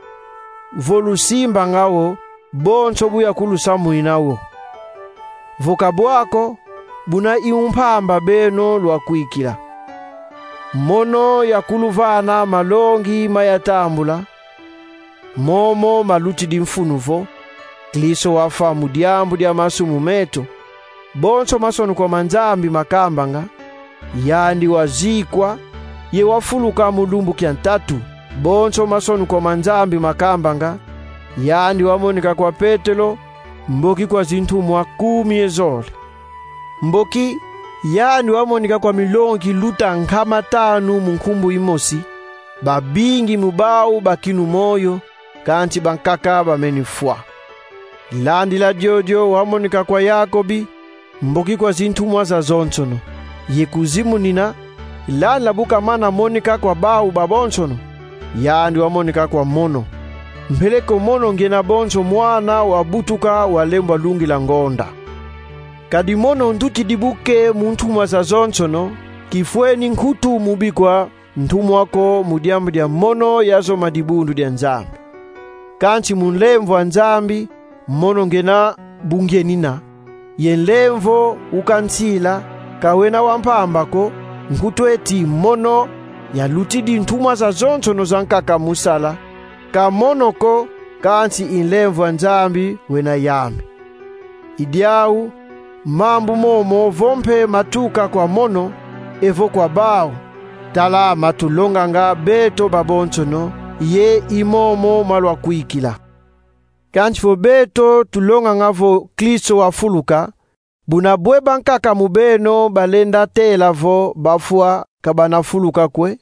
vo lusimbanga wo, bonso bu yakulusamunina wo. Vo ka bwa ko, buna i mu mpamba beno lwakwikila. Mono yakuluvana malongi mayatambula, momo malutidi mfunu vo: Kristo wafwa mu diambu dia masumu meto, bonso masonukwa ma Nzambi makambanga, yandi wazikwa, ye wafuluka mu lumbu kia ntatu, bonso masonukwa ma Nzambi makambanga, yandi wamonika kwa Petelo, mboki kwa zintumwa kumi ye zole. Mboki yandi wamonika kwa milongi luta nkama tanu mu nkumbu imosi, babingi mu bau bakinu moyo, kansi bankaka bameni fwa. Landila diodio wamonika kwa Yakobi, mboki kwa zintumwa zazonsono. Ye kuzimunina, landila bu kamana monika kwa bau babonsono, yandi wamonika kwa mono, mpeleko mono ngena bonso mwana wabutuka walembwa lungila ngonda. Kadi mono ndutidi buke mu ntumwa zazonsono, kifweni nkutu mu bikwa ntumwa ko mu diambu dia mono yazoma dibundu dia Nzambi. Kansi mu nlemvo a Nzambi, mono ngena bu ngienina, ye nlemvo ukansila, ka wena wa mpamba ko, nkutu eti mono yalutidi ntumwa zazonsono zankaka mu sala, ka mono ko, kansi i nlemvo a Nzambi wena yami. I diau, mambu momo vo mpe matuka kwa mono, evo kwa bau, tala matulonganga beto babonsono, ye i momo malwakwikila. Kansi vo beto tulonganga vo Kristo wafuluka, buna bwe bankaka mu beno balenda tela vo bafwa ka banafuluka kwe?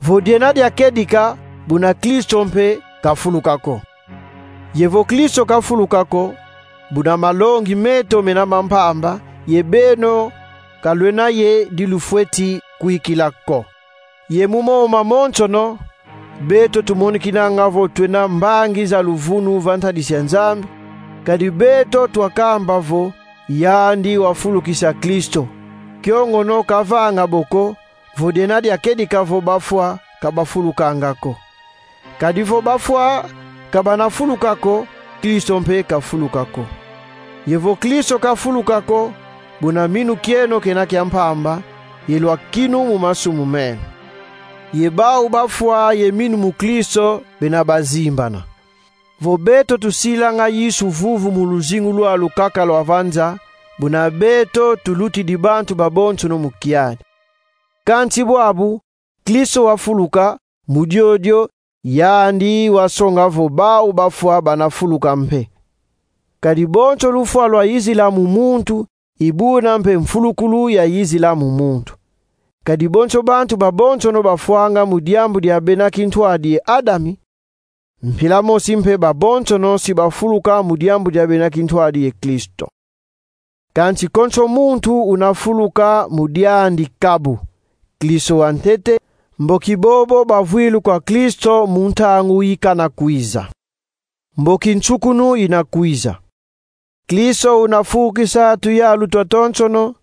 Vo diena diakedika, buna Kristo mpe kafuluka ko. Ye vo Kristo kafuluka ko, buna malongi meto mena ma mpamba, ye beno ka lwena ye di lufweti kwikila ko. Ye mu momo mamonsono, beto tumonikinanga vo twena mbangi za luvunu va ntadisi a Nzambi, kadi beto twakamba vo yandi wafulukisa Kristo. Kio ngono kavanga bo ko, vo diena diakedika vo bafwa ka bafulukanga ko. Kadi vo bafwa ka banafuluka ko, Kristo mpe kafuluka ko. Ye vo Kristo kafuluka ko, buna minu kieno kena kia mpamba, ye lwakinu mu masumu meno. Ye bau bafwa ye minu mu Kristo bena bazimbana. Vo beto tusilanga Yesu vuvu mu luzingu lwalu kaka lwa va nza, buna beto tulutidi bantu babonsono mu kiadi. Kansi bwabu, Kristo wafuluka, mu diodio, yandi wasonga vo bau bafwa banafuluka mpe. Kadi bonso lufwa lwayizila mu muntu, i buna mpe mfulukulu yayizila mu muntu. Kadi bonso bantu babonsono bafwanga mu diambu dia bena kintwadi ye Adami, mpila mosi mpe babonsono si bafuluka mu diambu dia bena kintwadi ye Kristo. Kansi konso muntu unafuluka mu diandi kabu, Kristo wantete, mboki bobo bavwilu kwa Kristo mu ntangu ikana kwiza. Mboki nsukunu ina kwiza. Kristo unafukisa tuyalu twatonsono,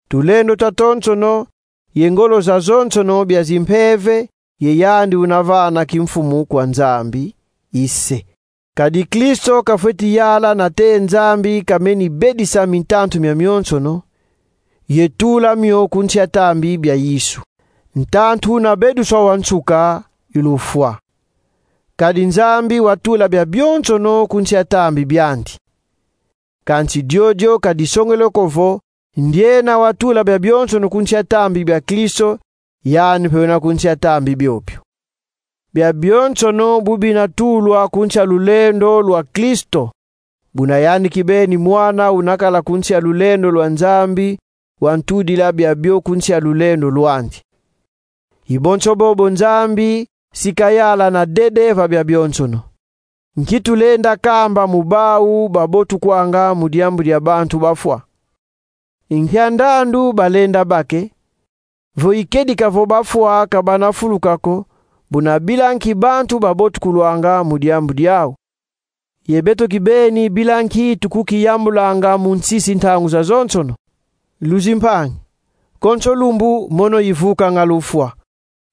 tulendo twatonsono, ye ngolo zazonsono bia zimpeve, ye yandi unavana kimfumu kwa Nzambi, i Se. Kadi Kristo kafweti yala nate Nzambi kameni bedisa mintantu miamionsono, ye tula mio ku nsi a tambi bia Yesu. Ntantu una beduswa wa nsuka i lufwa. Kadi Nzambi watula biabionsono ku nsi a tambi biandi. Kansi diodio ka disongele ko vo, ndiena watula biabionsono ku nsi a tambi bia Kristo, yandi mpe wena ku nsi a tambi biobio. Biabionsono bu binatulwa ku nsi a lulendo lwa Kristo, buna yandi kibeni mwana unakala ku nsi a lulendo lwa Nzambi, wantudila biabio ku nsi a lulendo lwandi. I bonso bobo Nzambi si kayala na dede va biabionsono. Nki tulenda kamba mu bau babotukwanga mu diambu dia bantu bafwa? I nkia ndandu balenda bake? Vo ikedika vo bafwa ka banafuluka ko, buna bila nki bantu babotukulwanga mu diambu diau? Ye beto kibeni bila nki tukukiyambulanga mu nsisi ntangu zazonsono? Luzimpangi, konso lumbu mono ivukanga lufwa.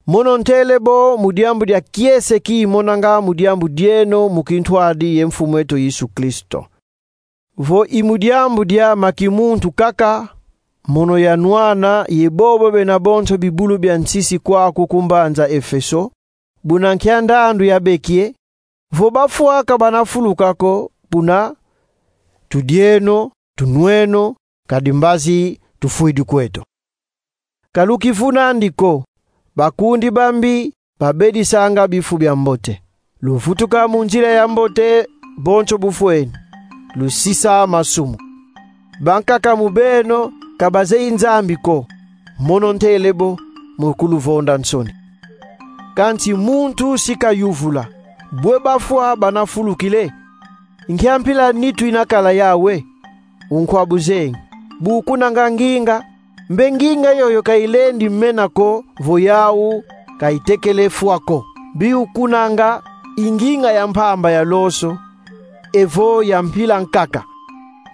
Mono ntele bo mu diambu dia kiese ki imonanga mu diambu dieno mu kintwadi ye Mfumu eto Yesu Kristo. Vo i mu diambu dia ma kimuntu kaka, mono yanwana ye bobo bena bonso bibulu bia nsisi kwaku ku mbanza Efeso, buna nkia ndandu yabeki e: Vo bafwa ka bana fuluka ko, buna: Tudieno, tunweno, kadi mbazi tufwidi kweto. Ka lukivunandi ko, bakundi bambi babedisanga bifu bia mbote. Luvutuka mu nzila ya mbote bonso bufweni, lusisa masumu. Bankaka mu beno ka bazeyi Nzambi ko, mono ntele bo mu kuluvonda nsoni. Kansi muntu si kayuvula: Bwe bafwa bana fulukila e? Nkia mpila nitu ina kala yau e? Unkwa buzengi, bu kunanga nginga, mbe nginga yoyo ka ilendi mena ko vo yau ka itekele fwa ko. Mbi ukunanga i nginga ya mpamba ya loso, evo ya mpila nkaka.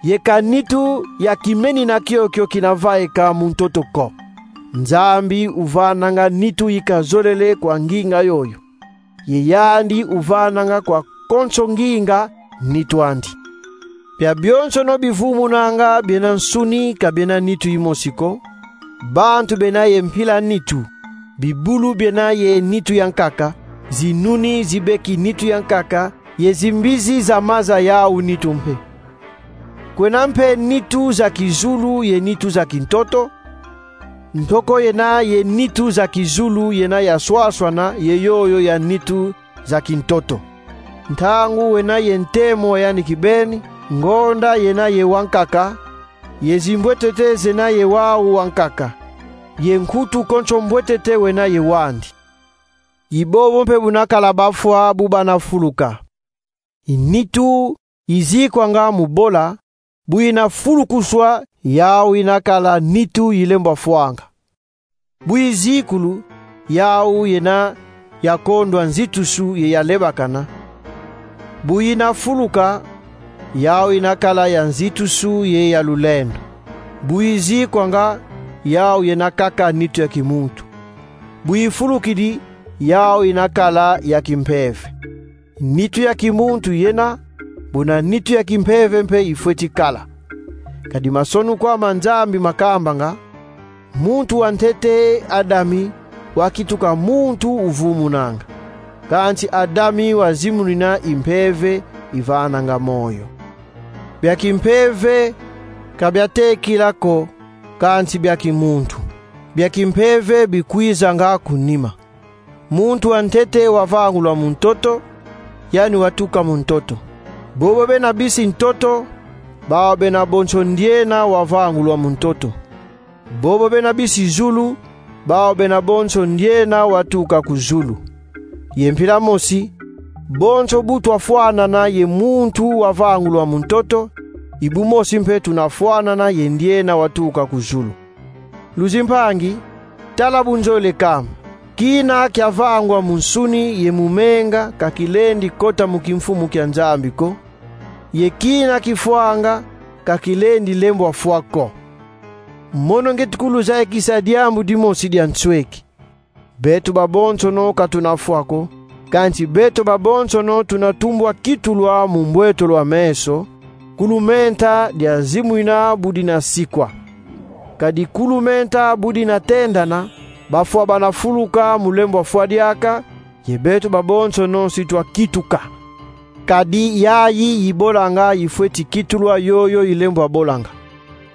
Ye ka nitu ya kimenina kiokio kina vaika mu ntoto ko. Nzambi uvananga nitu ikazolele kwa nginga yoyo, ye yandi uvananga kwa konso nginga nitu andi. Bia bionsono bivumunanga biena nsuni ka biena nitu imosi ko: bantu bena ye mpila nitu, bibulu biena ye nitu ya nkaka, zinuni zibeki nitu ya nkaka, ye zimbizi za maza yau nitu mpe. Kwena mpe nitu za kizulu ye nitu za kintoto. Ntoko yena ye nitu za kizulu yena ya swaswana ye yoyo ya nitu za kintoto. Ntangu wena ye ntemo wa yandi kibeni, ngonda yena ye wankaka, ye zimbwetete zena ye wau wankaka, ye nkutu konso mbwetete wena ye wandi. I bobo mpe buna kala bafwa bu bana fuluka. I nitu izikwanga mu bola, bu ina fulukuswa, yau ina kala nitu ilembwa fwanga. Bu izikulu, yau yena ya kondwa nzitusu ye ya lebakana. Bu ina fuluka, yau ina kala ya nzitusu ye ya lulendo. Bu izikwanga, yau yena kaka nitu ya kimuntu. Bu ifulukidi, yau ina kala ya kimpeve. Nitu ya kimuntu yena, buna nitu ya kimpeve mpe ifweti kala. Kadi masonukwa ma Nzambi makambanga: Muntu wa ntete, Adami, wakituka muntu uvumunanga. Kansi Adami wazimunina i mpeve ivananga moyo. Bia kimpeve ka biatekila ko, kansi bia kimuntu. Bia kimpeve bikwizanga ku nima. Muntu wa ntete wavangulwa mu ntoto, yani watuka mu ntoto. Bobo bena bisi ntoto, bau bena bonso ndiena wavangulwa mu ntoto. Bobo bena bisi zulu, bau bena bonso ndiena watuka ku zulu. Ye mpila mosi, bonso bu twafwanana ye muntu wavangulwa mu ntoto, i bu mosi mpe tuna fwanana ye ndiena watuka ku zulu. Luzimpangi, tala bu nzolele kamba: kina kiavangwa mu nsuni ye mu menga ka kilendi kota mu kimfumu kia Nzambi ko, ye kina kifwanga ka kilendi lembwa fwa ko. Mono ngieti kuluzayikisa diambu dimosi dia nsweki. Beto babonsono ka tuna fwa ko, kansi beto babonsono tuna tumbwa kitulwa mu mbwetolo a meso, kulumenta dia zimwina bu dina sikwa. Kadi kulumenta bu dina tendana, bafwa bana fuluka mu lembwa fwa diaka, ye beto babonsono si twakituka. Kadi yayi ibolanga ifweti kitulwa yoyo ilembwa bolanga.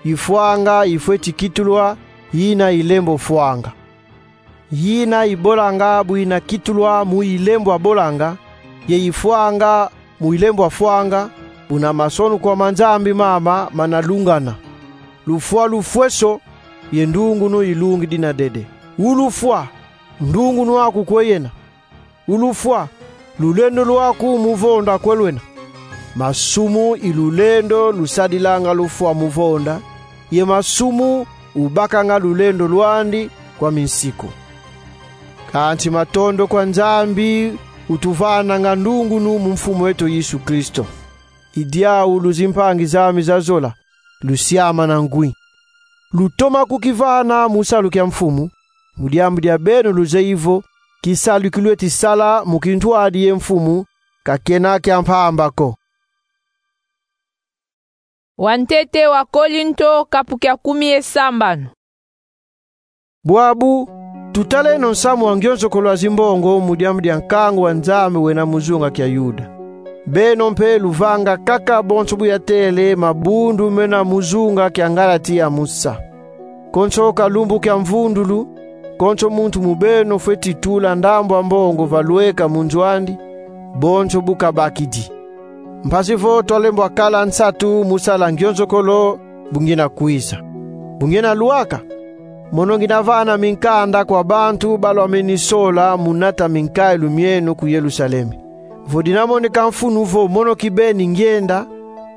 Ifwanga ifweti kitulwa yina ilembwa fwanga. Yina ibolanga bu ina kitulwa mu ilembwa bolanga, ye ifwanga mu ilembwa fwanga, buna masonukwa ma Nzambi mama mana lungana. Lufwa lufweso, ye ndungunu ilungi dina dede. Ulufwa, ndungunu aku kwe yena? Ulufwa, lulendo lwaku mu vonda kwe lwena? Masumu i lulendo lusadilanga lufwa mu vonda, ye masumu ubakanga lulendo lwandi kwa minsiku. Kansi matondo kwa Nzambi utuvananga ndungunu mu Mfumu eto Yesu Kristo. I diau, luzimpangi zami za zola, lusiamana ngwi. Lutoma kukivana mu salu kia Mfumu, mu diambu dia beno luzeyi vo kisalu ki lweti sala mu kintwadi ye Mfumu ka kena kia mpamba ko. Wantete wa Kolinto, kapu kia kumi ye sambanu. Bwabu, tutaleno nsamu wa ngionzokolo wa zimbongo mu diambu dia nkangu wa Nzambi wena mu zunga kia Yuda. Beno mpe luvanga kaka bonso bu yatele mabundu mena mu zunga kia Ngalatia musa. Konso ka lumbu kia mvundulu, konso muntu mu beno fweti tula ndambu a mbongo va lweka mu nzo andi, bonso bu kabakidi. Mpasi vo twalembwa kala nsatu mu sala ngionzokolo bu ngiena kwiza. Bu ngiena lwaka, mono ngiena vana minkanda kwa bantu ba lwameni sola mu nata minkailu mieno ku Yerusalemi. Vo dina moneka mfunu vo mono kibeni ngienda,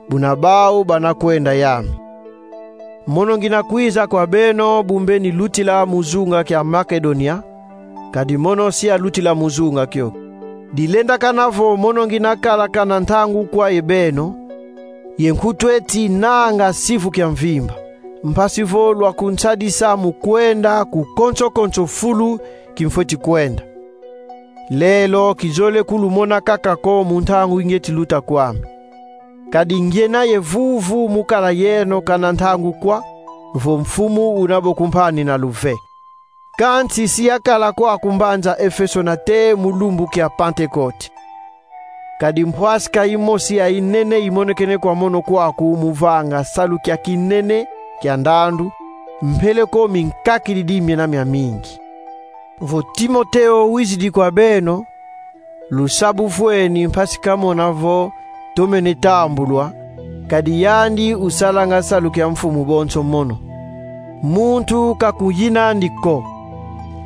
buna bau bana kwenda yami. Mono ngiena kwiza kwa beno bu mbeni lutila mu zunga kia Makedonia, kadi mono si yalutila mu zunga kio. Dilendakana vo mono ngiena kala kana ntangu kwa ye beno, ye nkutu eti nanga sivu kia mvimba, mpasi vo lwakunsadisa mu kwenda ku konso-konso fulu kimfweti kwenda. Lelo kizole kulumona kaka ko mu ntangu ingieti luta kwame. Kadi ngiena ye vuvu mu kala yeno kana ntangu kwa, vo Mfumu una bo kumpani na luve. Kansi si yakala kwaku mbanza Efeso nate mu lumbu kia Pantekote. Kadi mpwasika imosi ya inene imonekene kwa mono kwaku mu vanga salu kia kinene kia ndandu, mpeleko minkakididi miena miamingi. Vo Timoteo wizidi kwa beno, lusa bu vweni mpasi kamona vo tomene tambulwa, kadi yandi usalanga salu kia Mfumu bonso mono. Muntu ka kuyina andi ko.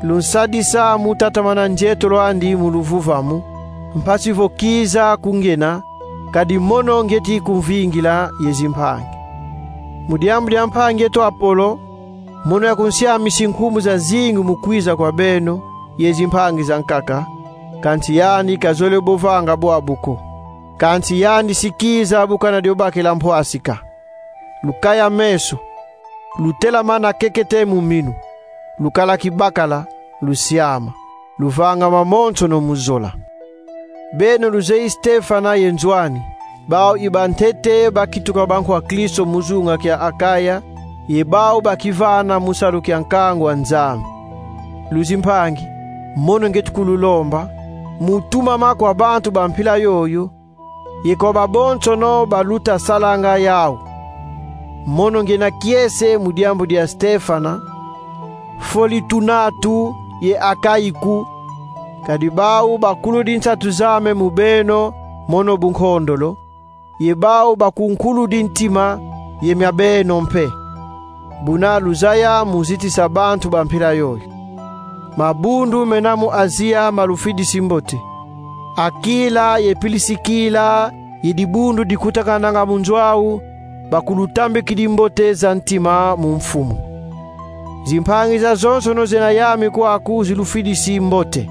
Lunsadisa mu tatamana nzietolo andi mu luvuvamu, mpasi vo kiza ku ngiena, kadi mono ngieti kumvingila ye zimpangi. Mu diambu dia mpangi eto Apolo, mono yakunsiamisi nkumbu zazingi mu kwiza kwa beno ye zimpangi zankaka, kansi yandi kazole bo vanga bwabu ko. Kansi yandi si kiza bu kana dio bakila mpwasika. Lukaya meso, lutelamana kekete mu minu, lukala kibakala, lusiama, luvanga mamonsono mu zola. Beno luzeyi Stefana ye nzo ani, bau i bantete bakituka bankwa Kristo mu zunga kia Akaya, ye bau bakivana mu salu kia nkangu wa Nzambi. Luzimpangi, mono ngieti kululomba, mu tumama kwa bantu ba mpila yoyo, ye kwa babonsono baluta salanga yau. Mono ngiena kiese mu diambu dia Stefana, Folitunatu ye Akaiku, kadi bau bakuludi nsatu zame mu beno, mono bu nkondolo, ye bau bakunkuludi ntima ye mia beno mpe. Buna luzaya mu zitisa bantu ba mpila yoyo. Mabundu mena mu Azia malufidisi mbote. Akila ye Pilisikila ye dibundu dikutakananga mu nzo au, bakulutambikidi mbote za ntima mu Mfumu. Zimpangi zazonsono zena yami kwaku zilufidisi mbote.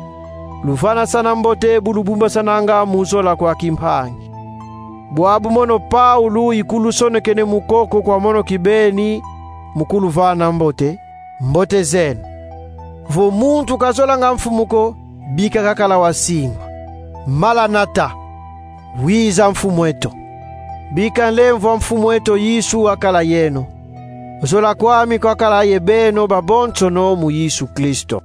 Luvanasana mbote bu lubumbasananga mu zola kwa kimpangi. Bwabu mono Paulu ikulusonekene mu koko kwa mono kibeni mu kuluvana mbote, mbote zeno. Vo muntu kazolanga Mfumu ko, bika kakala wasingwa. Maranata, wiza Mfumu eto. Bika nlemvo a Mfumu eto Yesu akala yeno. Zola kwami kwakala ye beno babonsono mu Yesu Kristo.